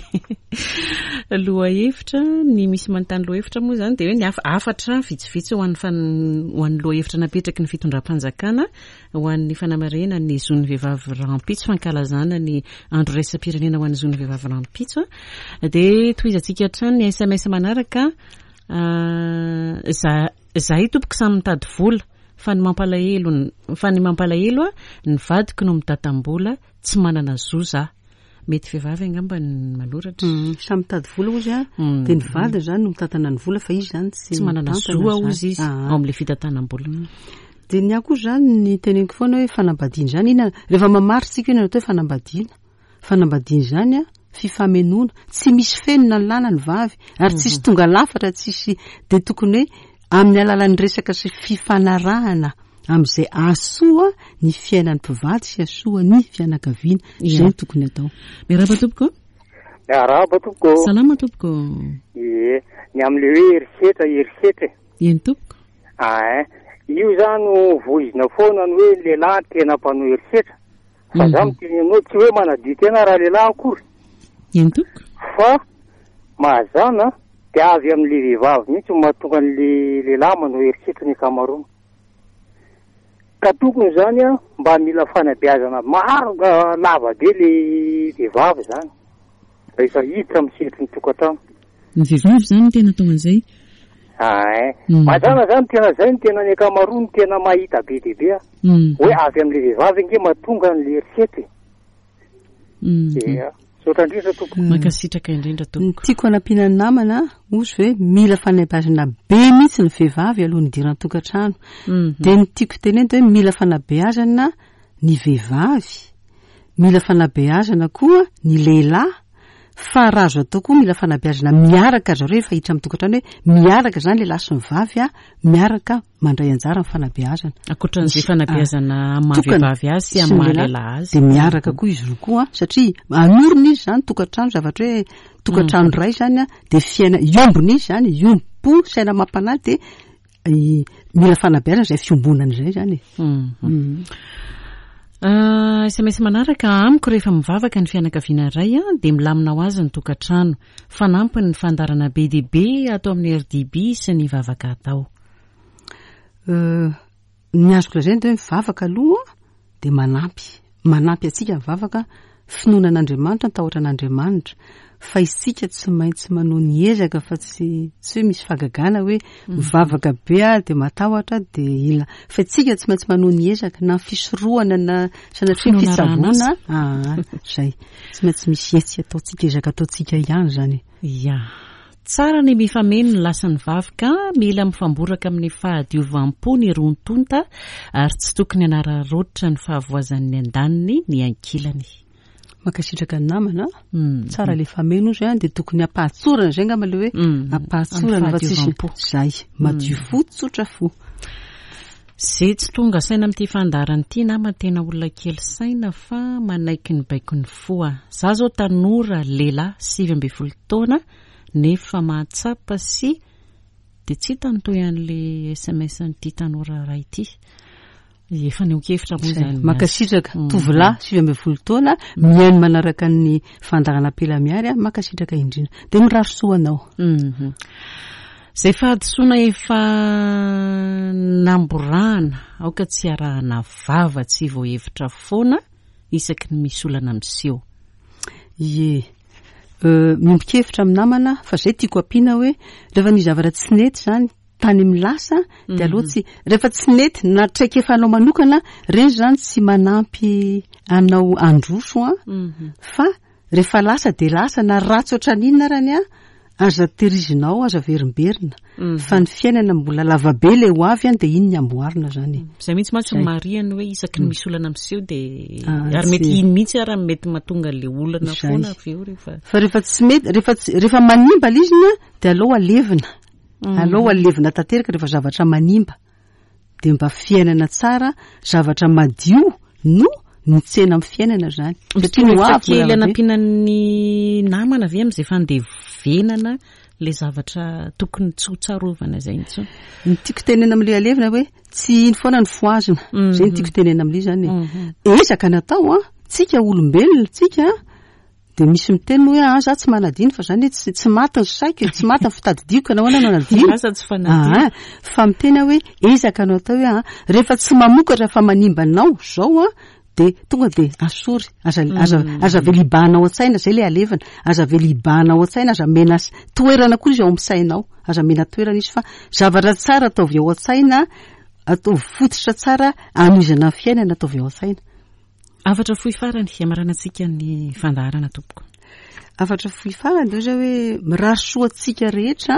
lohahevitra. Ny misy manontany lohahevitra moa zany dia hoe ny hafatra vitsivitsy ho an'ny fan-, ho an'ny lohahevitra napetraky ny fitondram-panjakana ho an'ny fanamarihana ny zon'ny vehivavy rahampitso, fankalazana ny andro iraisam-pirenena ho an'ny zon'ny vehivavy rahampitso. Dia tohizantsika hatrany ny S M S manaraka. Za-, zahay tompoko samy mitady vola, fa ny mampalahelo, fa ny mampalahelo a, ny vadiko no mitatam-bola, tsy manana zo za. Mety vehivavy angamba ny manoratra. Mm, samy mitady vola ozy a, dia ny vadiny zany no mitantana ny vola, fa izy zany tsy Tsy manana mitantana zo zany. ozy izy Ah. ao amin'ilay fitantanam-bola. Mm. Dia ny ahy koa zany ny teneniko foana hoe fanambadiana zany, inona, rehefa mamaritsika io atao hoe fanambadiana. Fanambadiana zany a, fifamenoana, tsy misy feno na ny lahy na ny vavy, ary tsisy tonga lafatra, tsisy, dia tokony hoe amin'ny alalan'ny resaka sy fifanarahana amin'izay ahasoa ny fiainan'ny mpivady sy ahasoa ny fianakaviana. Izay no tokony atao. Miarahaba tompoko. Miarahaba tompoko. Salama tompoko. Ie, ny amin'ilay hoe herisetra, herisetra e. Eny tompoko. Ah, io zany no voizina foana ny hoe lehilahy tena mpanao herisetra. Fa za miteny aminao tsy hoe manadio tena raha lehilahy akory. Eny tompoko. Fa mahazana dia avy amin'ilay vehivavy mihitsy no mahatonga an'ilay lehilahy manao herisetra ny ankamaroany. Ka tokony zany a, mba mila fanabeazana maro, lava be le vehivavy zany rehefa hiditra amin'ny sehatry ny tokantrano. Ny vehivavy zany no tena atao an'izay? Ah, Mm. mazàna zany tena zay no tena ny ankamaroany no tena mahita be dia be a. Mm. Hoe avy amin'ilay vehivavy ange mahatonga an'ilay herisetra e. Mm. Ia. Misaotra indrindra tompoko. Mankasitraka indrindra tompoko. Ny tiako hanampiana ny namana, ozy hoe mila fanabeazana be mihitsy ny vehivavy alohan'ny hidirana tokantrano. Mm. Dia ny tiako tenenina hoe mila fanabeazana ny vehivavy, mila fanabeazana koa ny lehilahy, fa raha azo atao koa mila fanabeazana miaraka zareo rehefa hiditra amin'ny tokantrano, hoe miaraka zany lehilahy sy ny vavy a, miaraka mandray anjara amin'ny fanabeazana. Ankoatran'izay Misy, fanabeazana ah, amin'ny maha tokana vehivavy azy sy sy amin'ny ny maha lehilahy, lehilahy azy. Dia miaraka koa izy roa koa, satria anorina izy zany tokantrano, zavatra hoe tokantrano iray zany a, dia fiaina iombona izy zany, iombom-po, saina amam-panahy, dia i-, mila fanabeazana izay fiombonana izay zany e. Mm. Mm. Ah, S M S manaraka, amiko rehefa mivavaka ny fianakaviana iray a, dia milamina ho azy ny tokantrano. Fanampiny ny fandaharana be dia be ato amin'ny R D B sy ny vavaka atao. Ny azoko lazaina dia hoe mivavaka aloha dia manampy. Manampy antsika mivavaka, finoana an'Andriamanitra, ny tahotra an'Andriamanitra. Fa isika tsy maintsy manao ny ezaka fa tsy tsy hoe misy fahagagana hoe mivavaka be aho dia matahotra dia ila. Fa isika tsy maintsy manao ny ezaka na fisorohana na sanatria Finoana fitsaboana. Ah, zay. Tsy maintsy misy hetsika ataontsika, ezaka ataontsika ihany zany. Ya. Tsara ny mifameno ny lasan'ny vavy ka mila mifamboraka amin'ny fahadiovam-po ny roa tonta ary tsy tokony hanararaotra ny fahavoazan'ny andaniny ny ankilany. Mankasitraka ny namana. Mm. Tsara le fameno izy dia tokony ampahatsorana zay angamba le hoe Mm. ampahatsorana fa tsisy Amin'ny fahadiovam-po. zay. Madio fo, tsotra fo. Zay tsy tonga saina amin'ity fandaharana ity nama tena olona kely saina fa manaiky ny baikon'ny fo aho. Za zao tanora lehilahy sivy ambin'ny folo taona nefa mahatsapa sy dia tsy hita ny toy an'le S M S an'ity tanora ray ity. Efa nioan-kevitra moa zany. Mankasitraka. Mm. Tovolahy sivy ambin'ny folo taona mihaino manaraka ny fandaharana Ampela Miary, mankasitraka indrindra. Dia mirary soa anao. Mhm. Zay fahadisoana efa namborahana aoka tsy arahana vava, tsy voahevitra foana isaky ny misy olana miseho. Ie. Euh, miombon-kevitra amin'ny namana fa zay tiako ampiana hoe rehefa nisy zavatra tsy nety zany tany amin'ny lasa dia aloha tsy rehefa tsy nety na traikefanao manokana reny zany tsy manampy anao androso a fa rehefa lasa dia lasa na ratsy ohatran'inona arany a aza terizinao, aza verimberina fa ny fiainana mbola lavabe le ho avy any dia iny ny amboarina zany. Zay mihitsy mantsy Zay. Mariany hoe isaky ny misy olana miseho dia Ah, ary mety tsy- iny mihitsy ary mety mahatonga le olana Zay. foana avy eo rehefa Fa rehefa tsy mety, rehefa tsy rehefa manimba le izy iny a dia aleo alevina, aleo alevina tanteraka rehefa zavatra manimba dia mba fiainana tsara, zavatra madio no mitsena amin'ny fiainana zany satria ny ho avy kely mbola lavabe. anampiana ny namana ve amin'izay fandevenana le zavatra tokony tsy ho tsarovana izay intsony? Ny tiako tenena amin'le alevina hoe tsy iny foana ny foazina zay ny tiako tenena amin'le zany e. Ezaka natao a tsika olombelona tsika dia misy miteny hoe ah za tsy manadino fa zany hoe tsy tsy maty ny saiko, tsy maty ny fitadidiako, nahoana no hanadino? Lasa tsy fanadino. Ah, fa miteny aho hoe ezaka no atao hoe ah rehefa tsy mamokatra fa manimba anao zao a dia tonga dia asory, aza aza aza avela ao an-tsaina zay le alevina, aza avela ao an-tsaina, aza mena s- toerana koa izy ao amin'ny sainao, aza mena toerana izy fa zavatra tsara ataovy ao an-tsaina, ataovy fototra tsara anohizana ny fiainana, ataovy ao an-tsaina. Hafatra fohy farany hamaranantsika ny fandaharana, tompoko. Hafatra fohy farany dia zay hoe mirary soa antsika rehetra,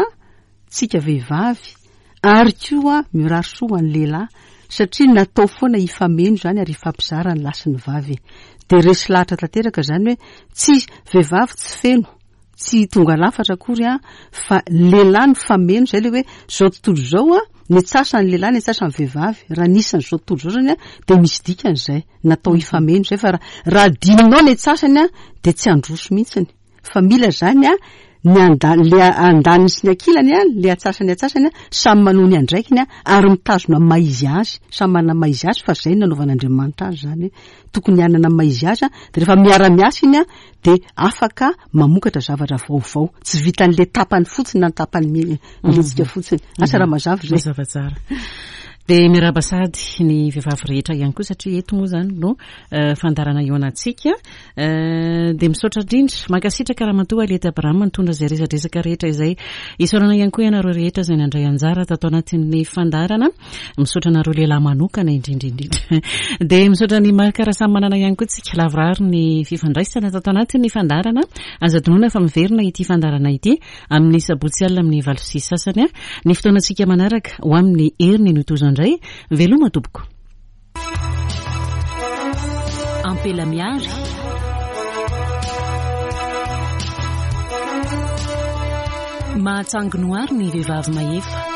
tsika vehivavy ary koa mirary soa ho an'ny lehilahy satria natao foana hifameno zany ary hifampizara ny lahy sy ny vavy. Dia resy lahatra tanteraka zany hoe tsy vehivavy tsy feno, tsy tonga lafatra akory a fa lehilahy ny fameno zay le hoe zao tontolo izao a ny antsasany lehilahy, ny antsasany vehivavy. Raha nisan'izao tontolo izao zany a dia misy dikany zay natao hifameno zay fa raha raha adinonao ny antsasany a dia tsy handroso mihitsiny fa mila zany a ny anda le andaniny sy ny ankilany a le antsasany antsasany a samy manao ny andraikiny a ary mitazona amin'ny maha izy azy, samy manana ny maha izy azy fa zay no nanaovan'Andriamanitra azy zany hoe tokony hanana ny maha izy azy a dia rehefa miara-miasa iny a dia afaka mamokatra zavatra vaovao tsy vitan'le tapany fotsiny na ny tapany mi- mihetsika fotsiny. Asa raha mazava zay. Mazava tsara. Dia miarahaba sady ny vehivavy rehetra ihany koa satria eto moa zany no eh, fandaharana eo anantsika. Eh, dia misaotra indrindra, mankasitraka ramatoa Aliette Abraham nitondra izay resadresaka rehetra izay. Isaorana ihany koa ianareo rehetra izay nandray anjara tato anatin'ny fandaharana. Misaotra anareo lehilahy manokana indrindra indrindra. Dia misaotra ny Marc Rasamanana ihany koa tsika lavorary ny fifandraisana tato anatin'ny fandaharana. Aza adinoina fa miverina ity fandaharana ity amin'ny sabotsy alina amin'ny valo sy sasany a. Ny fotoanantsika manaraka ho amin'ny heriny no tozo indray. Veloma tompoko. Ampela Miary. Mahatsangy noary ny vehivavy mahefa.